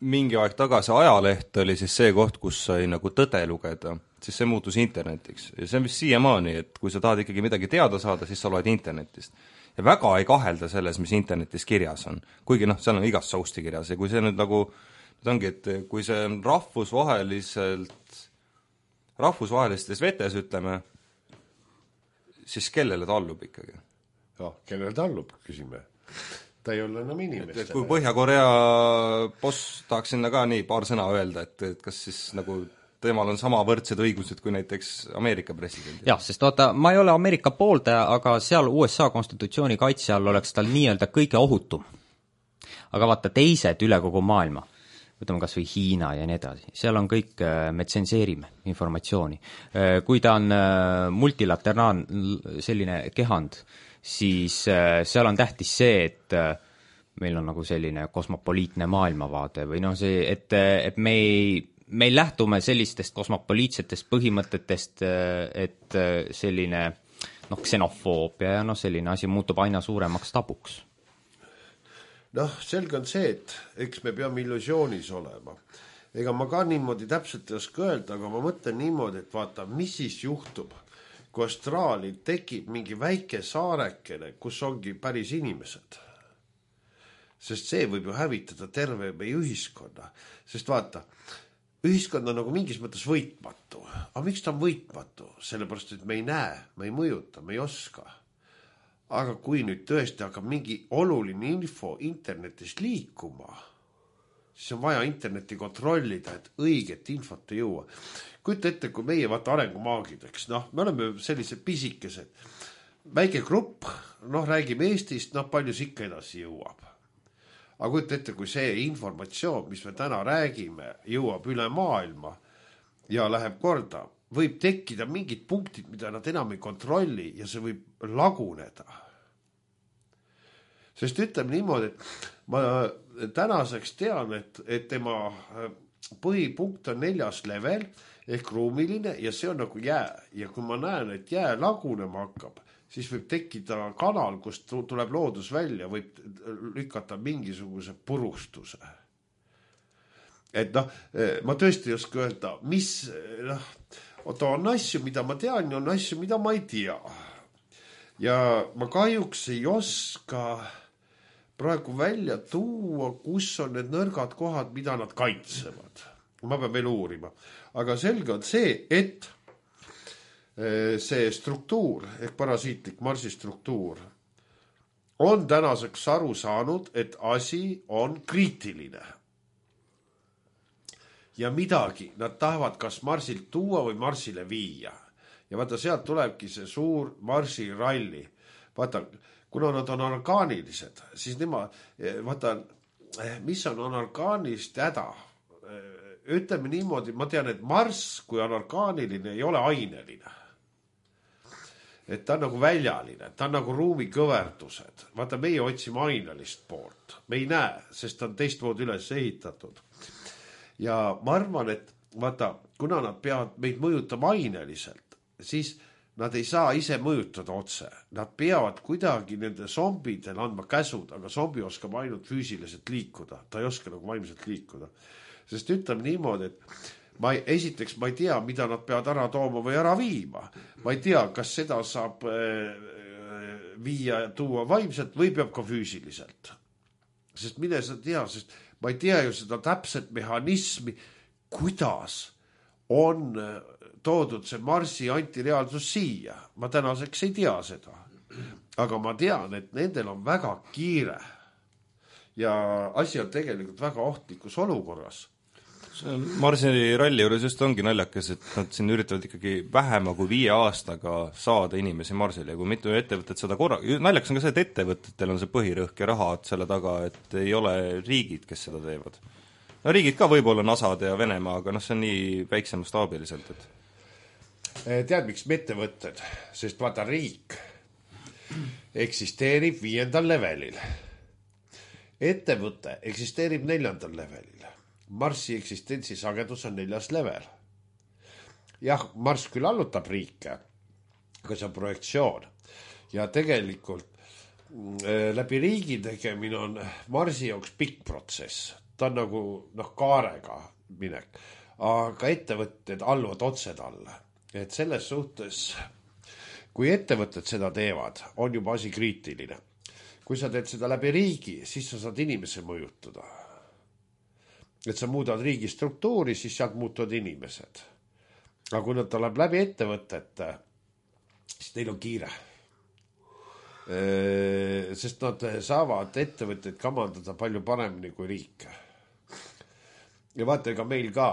mingi aeg tagasi ajaleht oli siis see koht, kus sai nagu tõde lugeda, siis see muutus internetiks. Ja see on vist siiamaani, et kui sa tahad ikkagi midagi teada saada, siis sa loed internetist. Ja väga ei kahelda selles, mis internetis kirjas on. Kuigi noh, seal on igast sousti kirjas ja kui see nüüd nagu, nüüd ongi, et kui see on rahvusvaheliselt, rahvusvahelistes vetes, ütleme, siis kellele ta allub ikkagi? Ja, kellele ta allub, küsime. Ta ei ole enam inimestele. Et kui Põhja-Korea boss tahaks sinna ka nii paar sõna öelda, et, et kas siis nagu temal on sama võrdsed õigused kui näiteks Ameerika president. Jah, sest vaata, ma ei ole Ameerika pooldaja, aga seal U S A konstitutsiooni kaitse all oleks tal nii-öelda kõige ohutum. Aga vaata, teised üle kogu maailma, võtame kas või Hiina ja nii edasi, seal on kõik, me tsenseerime informatsiooni. Kui ta on multilateraalne selline kehand, siis seal on tähtis see, et meil on nagu selline kosmopoliitne maailmavaade või noh, see, et, et me ei me lähtume sellistest kosmopoliitsetest põhimõtetest, et selline noh, ksenofoobia ja noh, selline asi muutub aina suuremaks tabuks. Noh, selge on see, et eks me peame illusioonis olema. Ega ma ka niimoodi täpselt ei oska öelda, aga ma mõtlen niimoodi, et vaata, mis siis juhtub, kui Austraalil tekib mingi väike saarekene, kus ongi päris inimesed. Sest see võib ju hävitada terve meie ühiskonna. Sest vaata, ühiskond on nagu mingis mõttes võitmatu. Aga miks ta on võitmatu? Sellepärast, et me ei näe, me ei mõjuta, me ei oska. aga kui nüüd tõesti hakkab mingi oluline info internetis liikuma, siis on vaja internetti kontrollida, et õiget infot ei jõua. Kujuta ette, kui meie vaata arengumaagid, eks, noh, me oleme sellised pisikesed, väike grupp, noh, räägime Eestist, noh, palju see ikka edasi jõuab. Aga kujuta ette, kui see informatsioon, mis me täna räägime, jõuab üle maailma ja läheb korda, võib tekkida mingid punktid, mida nad enam ei kontrolli ja see võib laguneda. Sest ütleme niimoodi, et ma tänaseks tean, et, et tema põhipunkt on neljas level ehk ruumiline ja see on nagu jää. Ja kui ma näen, et jää lagunema hakkab, siis võib tekkida kanal, kust tuleb loodus välja, võib lükata mingisuguse purustuse. Et noh, ma tõesti ei oska öelda, mis, noh, oota, on asju, mida ma tean ja on asju, mida ma ei tea. Ja ma kahjuks ei oska praegu välja tuua, kus on need nõrgad kohad, mida nad kaitsevad. Ma pean veel uurima. Aga selge on see, et see struktuur, ehk parasiitlik Marsi struktuur, on tänaseks aru saanud, et asi on kriitiline. Ja midagi nad tahavad kas Marsilt tuua või Marsile viia. Ja vaata, sealt tulebki see suur Marsi ralli. Vaata, kuna nad on orgaanilised, siis nema, vaata, mis on orgaanilist häda? Ütleme niimoodi, ma tean, et Mars, kui on orgaaniline, ei ole aineline. Et ta on nagu väljaline, ta on nagu ruumikõverdused. Vaata, meie otsime ainelist poolt. Me ei näe, sest ta on teistmoodi üles ehitatud. Ja ma arvan, et vaata, kuna nad peavad meid mõjutama aineliselt, siis nad ei saa ise mõjutada otse. Nad peavad kuidagi nende zombidel andma käsud, aga zombi oskab ainult füüsiliselt liikuda. Ta ei oska nagu vaimselt liikuda. Sest ütleme niimoodi, et ma ei, esiteks ma ei tea, mida nad peavad ära tooma või ära viima. Ma ei tea, kas seda saab äh, viia ja tuua vaimselt või peab ka füüsiliselt. Sest mine sa tea, sest ma ei tea ju seda täpset mehhanismi, kuidas on toodud see Marsi antireaalsus siia. Ma tänaseks ei tea seda. Aga ma tean, et nendel on väga kiire. Ja asi on tegelikult väga ohtlikus olukorras. Marsi ralli juures just ongi naljakas, et nad siin üritavad ikkagi vähema kui viie aastaga saada inimesi Marsile ja kui mitu ettevõtet seda korra... Naljakas on ka see, et ettevõtetel on see põhirõhk ja rahad selle taga, et ei ole riigid, kes seda teevad. No riigid ka võib-olla Nasad ja Venemaa, aga noh, see on nii väikse mastaabiliselt, et... Tead, miks me ettevõtted? Sest vaata, riik eksisteerib viiendal levelil. Ettevõte eksisteerib neljandal levelil. Marsi eksistentsi sagedus on neljas level. Jah, Mars küll allutab riike, aga see on projektsioon. Ja tegelikult läbi riigi tegemine on Marsi jaoks pikk protsess. Ta on nagu noh, kaarega minek. Aga ettevõtted alluvad otse talle. Et selles suhtes, kui ettevõtted seda teevad, on juba asi kriitiline. Kui sa teed seda läbi riigi, siis sa saad inimese mõjutada. Et sa muudad riigi struktuuri, siis sealt muutuvad inimesed. Aga kui nad tuleb läbi ettevõtete, siis neil on kiire. Sest nad saavad ettevõtteid kamandada palju paremini kui riik. Ja vaata, ega meil ka,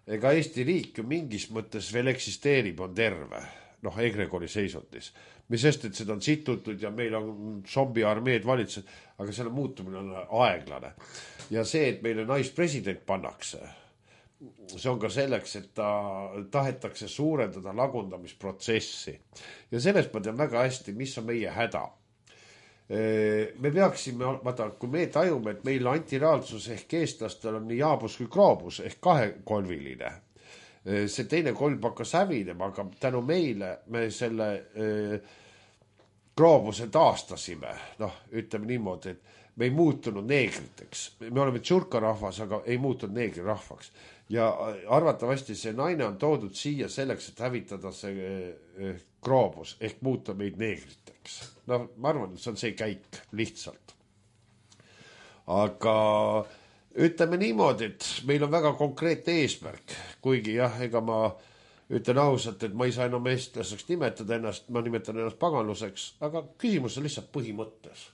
ega Eesti riik ju mingis mõttes veel eksisteerib, on terve. Noh, egregori seisundis. Mis sest, et seda on situtud ja meil on zombi armeed valitsused, aga selle muutumine on aeglane. Ja see, et meile naispresident pannakse, see on ka selleks, et ta tahetakse suurendada lagundamisprotsessi. Ja sellest ma tean väga hästi, mis on meie häda. Me peaksime, vaata, kui me tajume, et meil antireaalsus ehk eestlastel on nii jaabus kui kroobus ehk kahekolviline. See teine kolb hakkas hävinema, aga tänu meile me selle äh, kroobuse taastasime. Noh, ütleme niimoodi, et me ei muutunud neegriteks. Me oleme tšurkarahvas, aga ei muutunud neegrirahvaks. Ja arvatavasti see naine on toodud siia selleks, et hävitada see äh, kroobus ehk muuta meid neegriteks. No, ma arvan, et see on see käik lihtsalt. Aga... ütleme niimoodi, et meil on väga konkreetne eesmärk, kuigi jah, ega ma ütlen ausalt, et ma ei saa enam eestlaseks nimetada ennast, ma nimetan ennast paganluseks, aga küsimus on lihtsalt põhimõttes.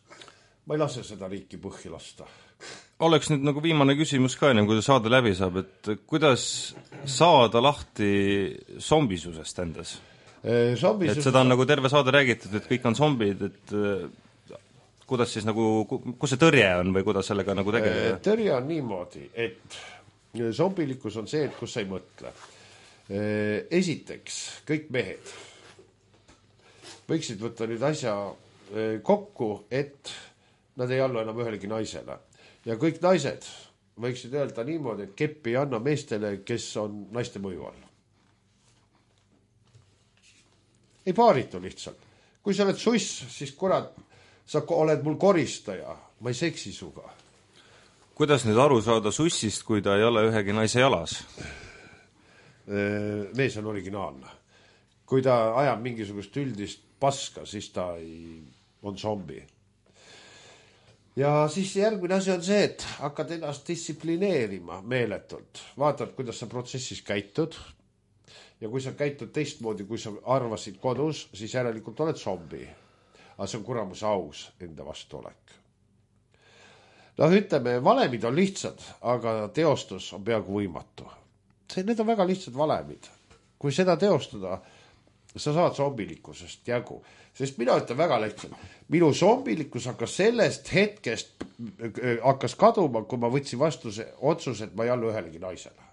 Ma ei lase seda riiki põhja lasta. Oleks nüüd nagu viimane küsimus ka ennem, kui saade läbi saab, et kuidas saada lahti zombisusest endas? Zombisus... Et seda on nagu terve saade räägitud, et kõik on zombid, et kuidas siis nagu, kus see tõrje on või kuidas sellega nagu tegeleda? Tõrje on niimoodi, et zombilikkus on see, et kus sa ei mõtle. Esiteks, kõik mehed võiksid võtta nüüd asja kokku, et nad ei allu enam ühelegi naisele. Ja kõik naised võiksid öelda niimoodi, et keppi ei anna meestele, kes on naiste mõju all. Ei paaritu lihtsalt. Kui sa oled suss, siis kurat, sa oled mul koristaja, ma ei seksi suga. Kuidas nüüd aru saada sussist, kui ta ei ole ühegi naise jalas? Mees on originaalne. Kui ta ajab mingisugust üldist paska, siis ta ei... on zombi. Ja siis järgmine asi on see, et hakkad ennast distsiplineerima meeletult. Vaatad, kuidas sa protsessis käitud. Ja kui sa käitud teistmoodi, kui sa arvasid kodus, siis järelikult oled zombi. Aga see on kuramus aus enda vastulek. No ütleme, valemid on lihtsad, aga teostus on peaaegu võimatu. See, need on väga lihtsad valemid. Kui seda teostada, sa saad zombilikkusest jagu. Sest mina ütlen väga lihtsalt. Minu zombilikkus hakkas sellest hetkest hakkas kaduma, kui ma võtsin vastu see otsus, et ma ei allu ühelegi naisele.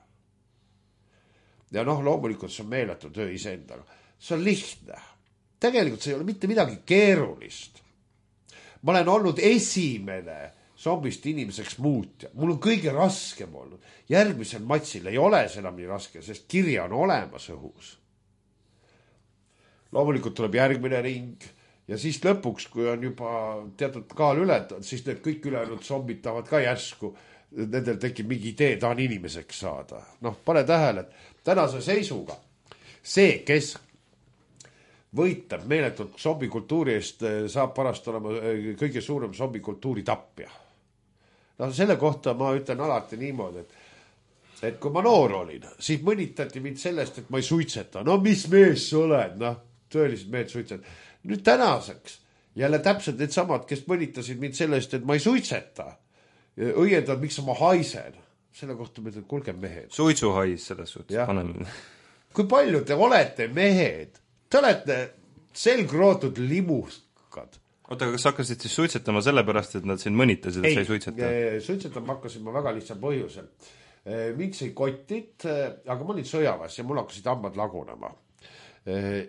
Ja noh, loomulikult see on meeletu töö iseendaga. See on lihtne. Tegelikult see ei ole mitte midagi keerulist. Ma olen olnud esimene zombist inimeseks muutja. Mul on kõige raskem olnud. Järgmisel matsil ei ole see enam nii raske, sest kirja on olemas õhus. Loomulikult tuleb järgmine ring ja siis lõpuks, kui on juba teatud kaal ületanud, siis need kõik ülejäänud zombid tahavad ka järsku, nendel tekib mingi idee, ta on inimeseks saada. Noh, pane tähele, et tänase seisuga see, kes võitab meeletult zombikultuuri eest, saab parast olema kõige suurem zombikultuuri tapja. No selle kohta ma ütlen alati niimoodi, et et kui ma noor olin, siis mõnitati mind sellest, et ma ei suitseta. No mis mees sa oled? Noh, tõelised mehed suitset. Nüüd tänaseks jälle täpselt need samad, kes mõnitasid mind sellest, et ma ei suitseta. Õiendad, miks ma haisen. Selle kohta ma ütlen, kulge mehed. Suitsuhais selles suhtes. Kui palju te olete mehed? Te olete selgrootud limuskad. Oota, kas hakkasid siis suitsetama sellepärast, et nad siin mõnitasid, et sa ei suitseta? Ei, suitsetama hakkasin ma väga lihtsal põhjusel. Mind sai kotid, aga ma olin sõjaväes ja mul hakkasid hambad lagunema.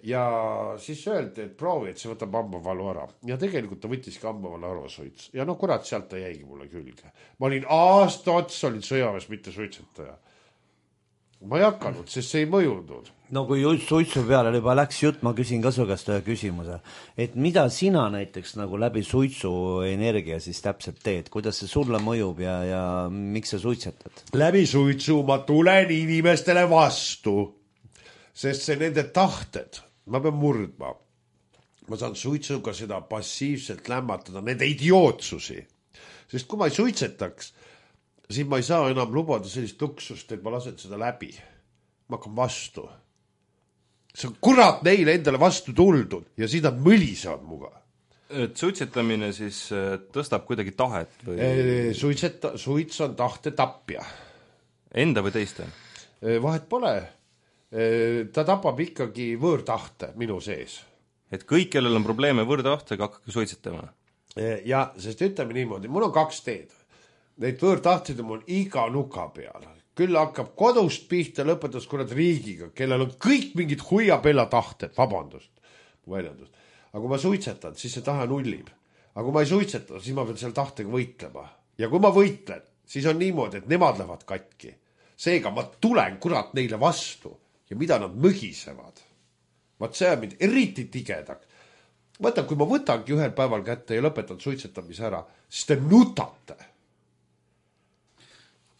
Ja siis öeldi, et proovi, et see võtab hambavalu ära. Ja tegelikult ta võttiski hambavalu ära suits. Ja no kurat, sealt ta jäigi mulle külge. Ma olin aasta otsa olin sõjaväes, mitte suitsetaja. Ma ei hakanud, sest see ei mõjunud. No kui suitsu peale juba läks jutt, ma küsin ka su käest ühe küsimuse. Et mida sina näiteks nagu läbi suitsu energia siis täpselt teed? Kuidas see sulle mõjub ja, ja miks sa suitsetad? Läbi suitsu ma tulen inimestele vastu, sest see nende tahted, ma pean murdma. Ma saan suitsuga seda passiivselt lämmatada, nende idiootsusi. Sest kui ma ei suitsetaks, siis ma ei saa enam lubada sellist luksust, et ma lasen seda läbi. Ma hakkan vastu. See on kurat neile endale vastu tuldud ja siis nad mõlisevad muga. Et suitsetamine siis tõstab kuidagi tahet? Või... Suitseta, suits on tahte tapja. Enda või teiste? Vahet pole. Ta tapab ikkagi võõrtahte minu sees. Et kõik, kellel on probleeme võõrtahtega, hakkake suitsetama? Ja, sest ütleme niimoodi, mul on kaks teed. Neid võõrtahtid on mul iga nuka peal. Küll hakkab kodust pihta lõpetas kurat riigiga, kellel on kõik mingid huiapella tahted, vabandust, väljendust. Aga kui ma suitsetan, siis see tahe nullib. Aga kui ma ei suitseta, siis ma pean selle tahtega võitlema. Ja kui ma võitlen, siis on niimoodi, et nemad lähevad katki. Seega ma tulen kurat neile vastu ja mida nad mõgisevad. Vaat see on mind eriti tigedaks. Võtan, kui ma võtangi ühel päeval kätte ja lõpetan suitsetamise ära, siis te nutate.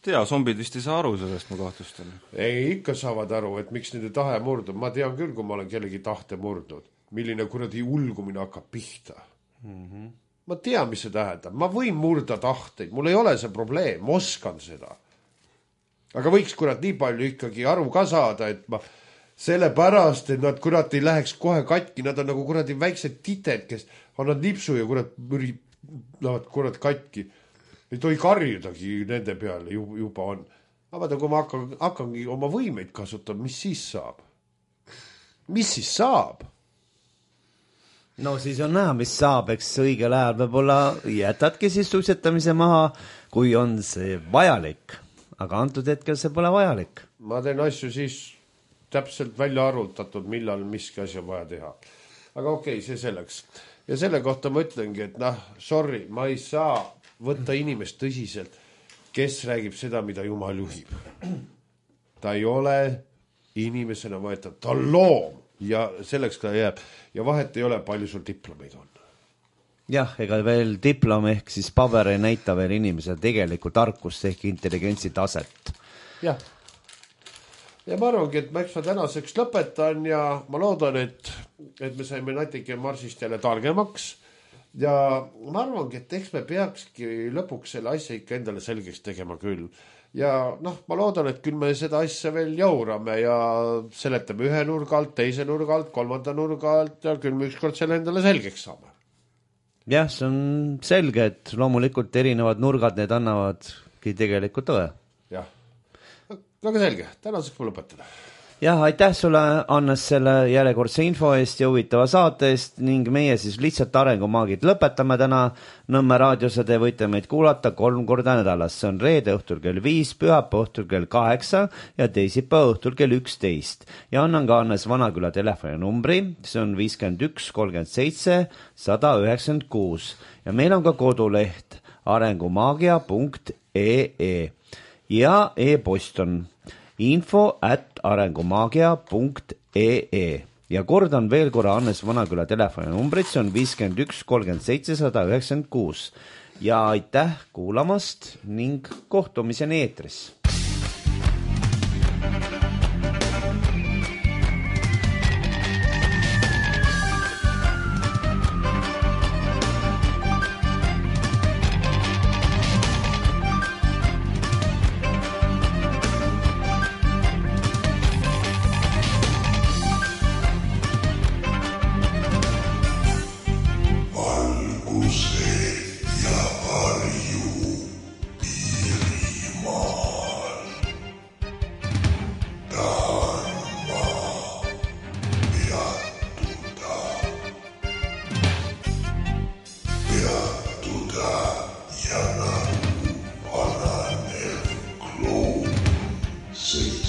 Tea, zombid vist ei saa aru sellest mu kahtlustel. Ei, ikka saavad aru, et miks nende tahe murdub. Ma tean küll, kui ma olen kellegi tahte murdnud. Milline kuradi ulgumine hakkab pihta. Mm-hmm. Ma tean, mis see tähendab. Ma võin murda tahteid. Mul ei ole see probleem. Ma oskan seda. Aga võiks kurat nii palju ikkagi aru ka saada, et ma sellepärast, et nad kurat ei läheks kohe katki, nad on nagu kuradi väiksed tited, kes annavad nipsu ja kurat müri, lähevad kurat katki. Ei tohi karjudagi nende peale juba on. Aga kui ma hakkan, hakkangi oma võimeid kasutama, mis siis saab? Mis siis saab? No siis on näha, mis saab, eks õigel ajal võib-olla jätadki siis suitsetamise maha, kui on see vajalik. Aga antud hetkel see pole vajalik. Ma teen asju siis täpselt välja arvutatud, millal miski asi on vaja teha. Aga okei, okay, see selleks. Ja selle kohta ma ütlengi, et noh, sorry, ma ei saa võtta inimest tõsiselt, kes räägib seda, mida Jumal juhib. Ta ei ole inimesena võetud, ta on loom ja selleks ta jääb. Ja vahet ei ole, palju sul diplomeid on. Jah, ega veel diplom ehk siis paber ei näita veel inimese tegelikult tarkust ehk intelligentsi taset. Jah. Ja ma arvangi, et ma eks ma tänaseks lõpetan ja ma loodan, et, et me saime natuke marsist jälle targemaks. Ja ma arvangi, et eks me peakski lõpuks selle asja ikka endale selgeks tegema küll. Ja noh, ma loodan, et küll me seda asja veel jaurame ja seletame ühe nurga alt, teise nurga alt, kolmanda nurga alt ja küll me ükskord selle endale selgeks saame. Jah, see on selge, et loomulikult erinevad nurgad, need annavadki tegelikult õe. Jah, väga selge, tänaseks ma lõpetada. Jah, aitäh sulle, Annes, selle järjekordse info eest ja huvitava saate eest ning meie siis lihtsalt arengumaagid lõpetame täna Nõmme raadios ja te võite meid kuulata kolm korda nädalas. See on reede õhtul kell viis, pühapa õhtul kell kaheksa ja teisipäeva õhtul kell üksteist. Ja annan ka Annes Vanaküla telefoni numbri, see on viiskümmend üks kolmkümmend seitse sada üheksakümmend kuus ja meil on ka koduleht arengumaagia punkt ee ja e-post on info at arengumaagia punkt ee ja kordan veel korra Annes Vanaküla telefoni numbrit, see on viiskümmend üks kolmkümmend seitse sada üheksakümmend kuus ja aitäh kuulamast ning kohtumiseni eetris. See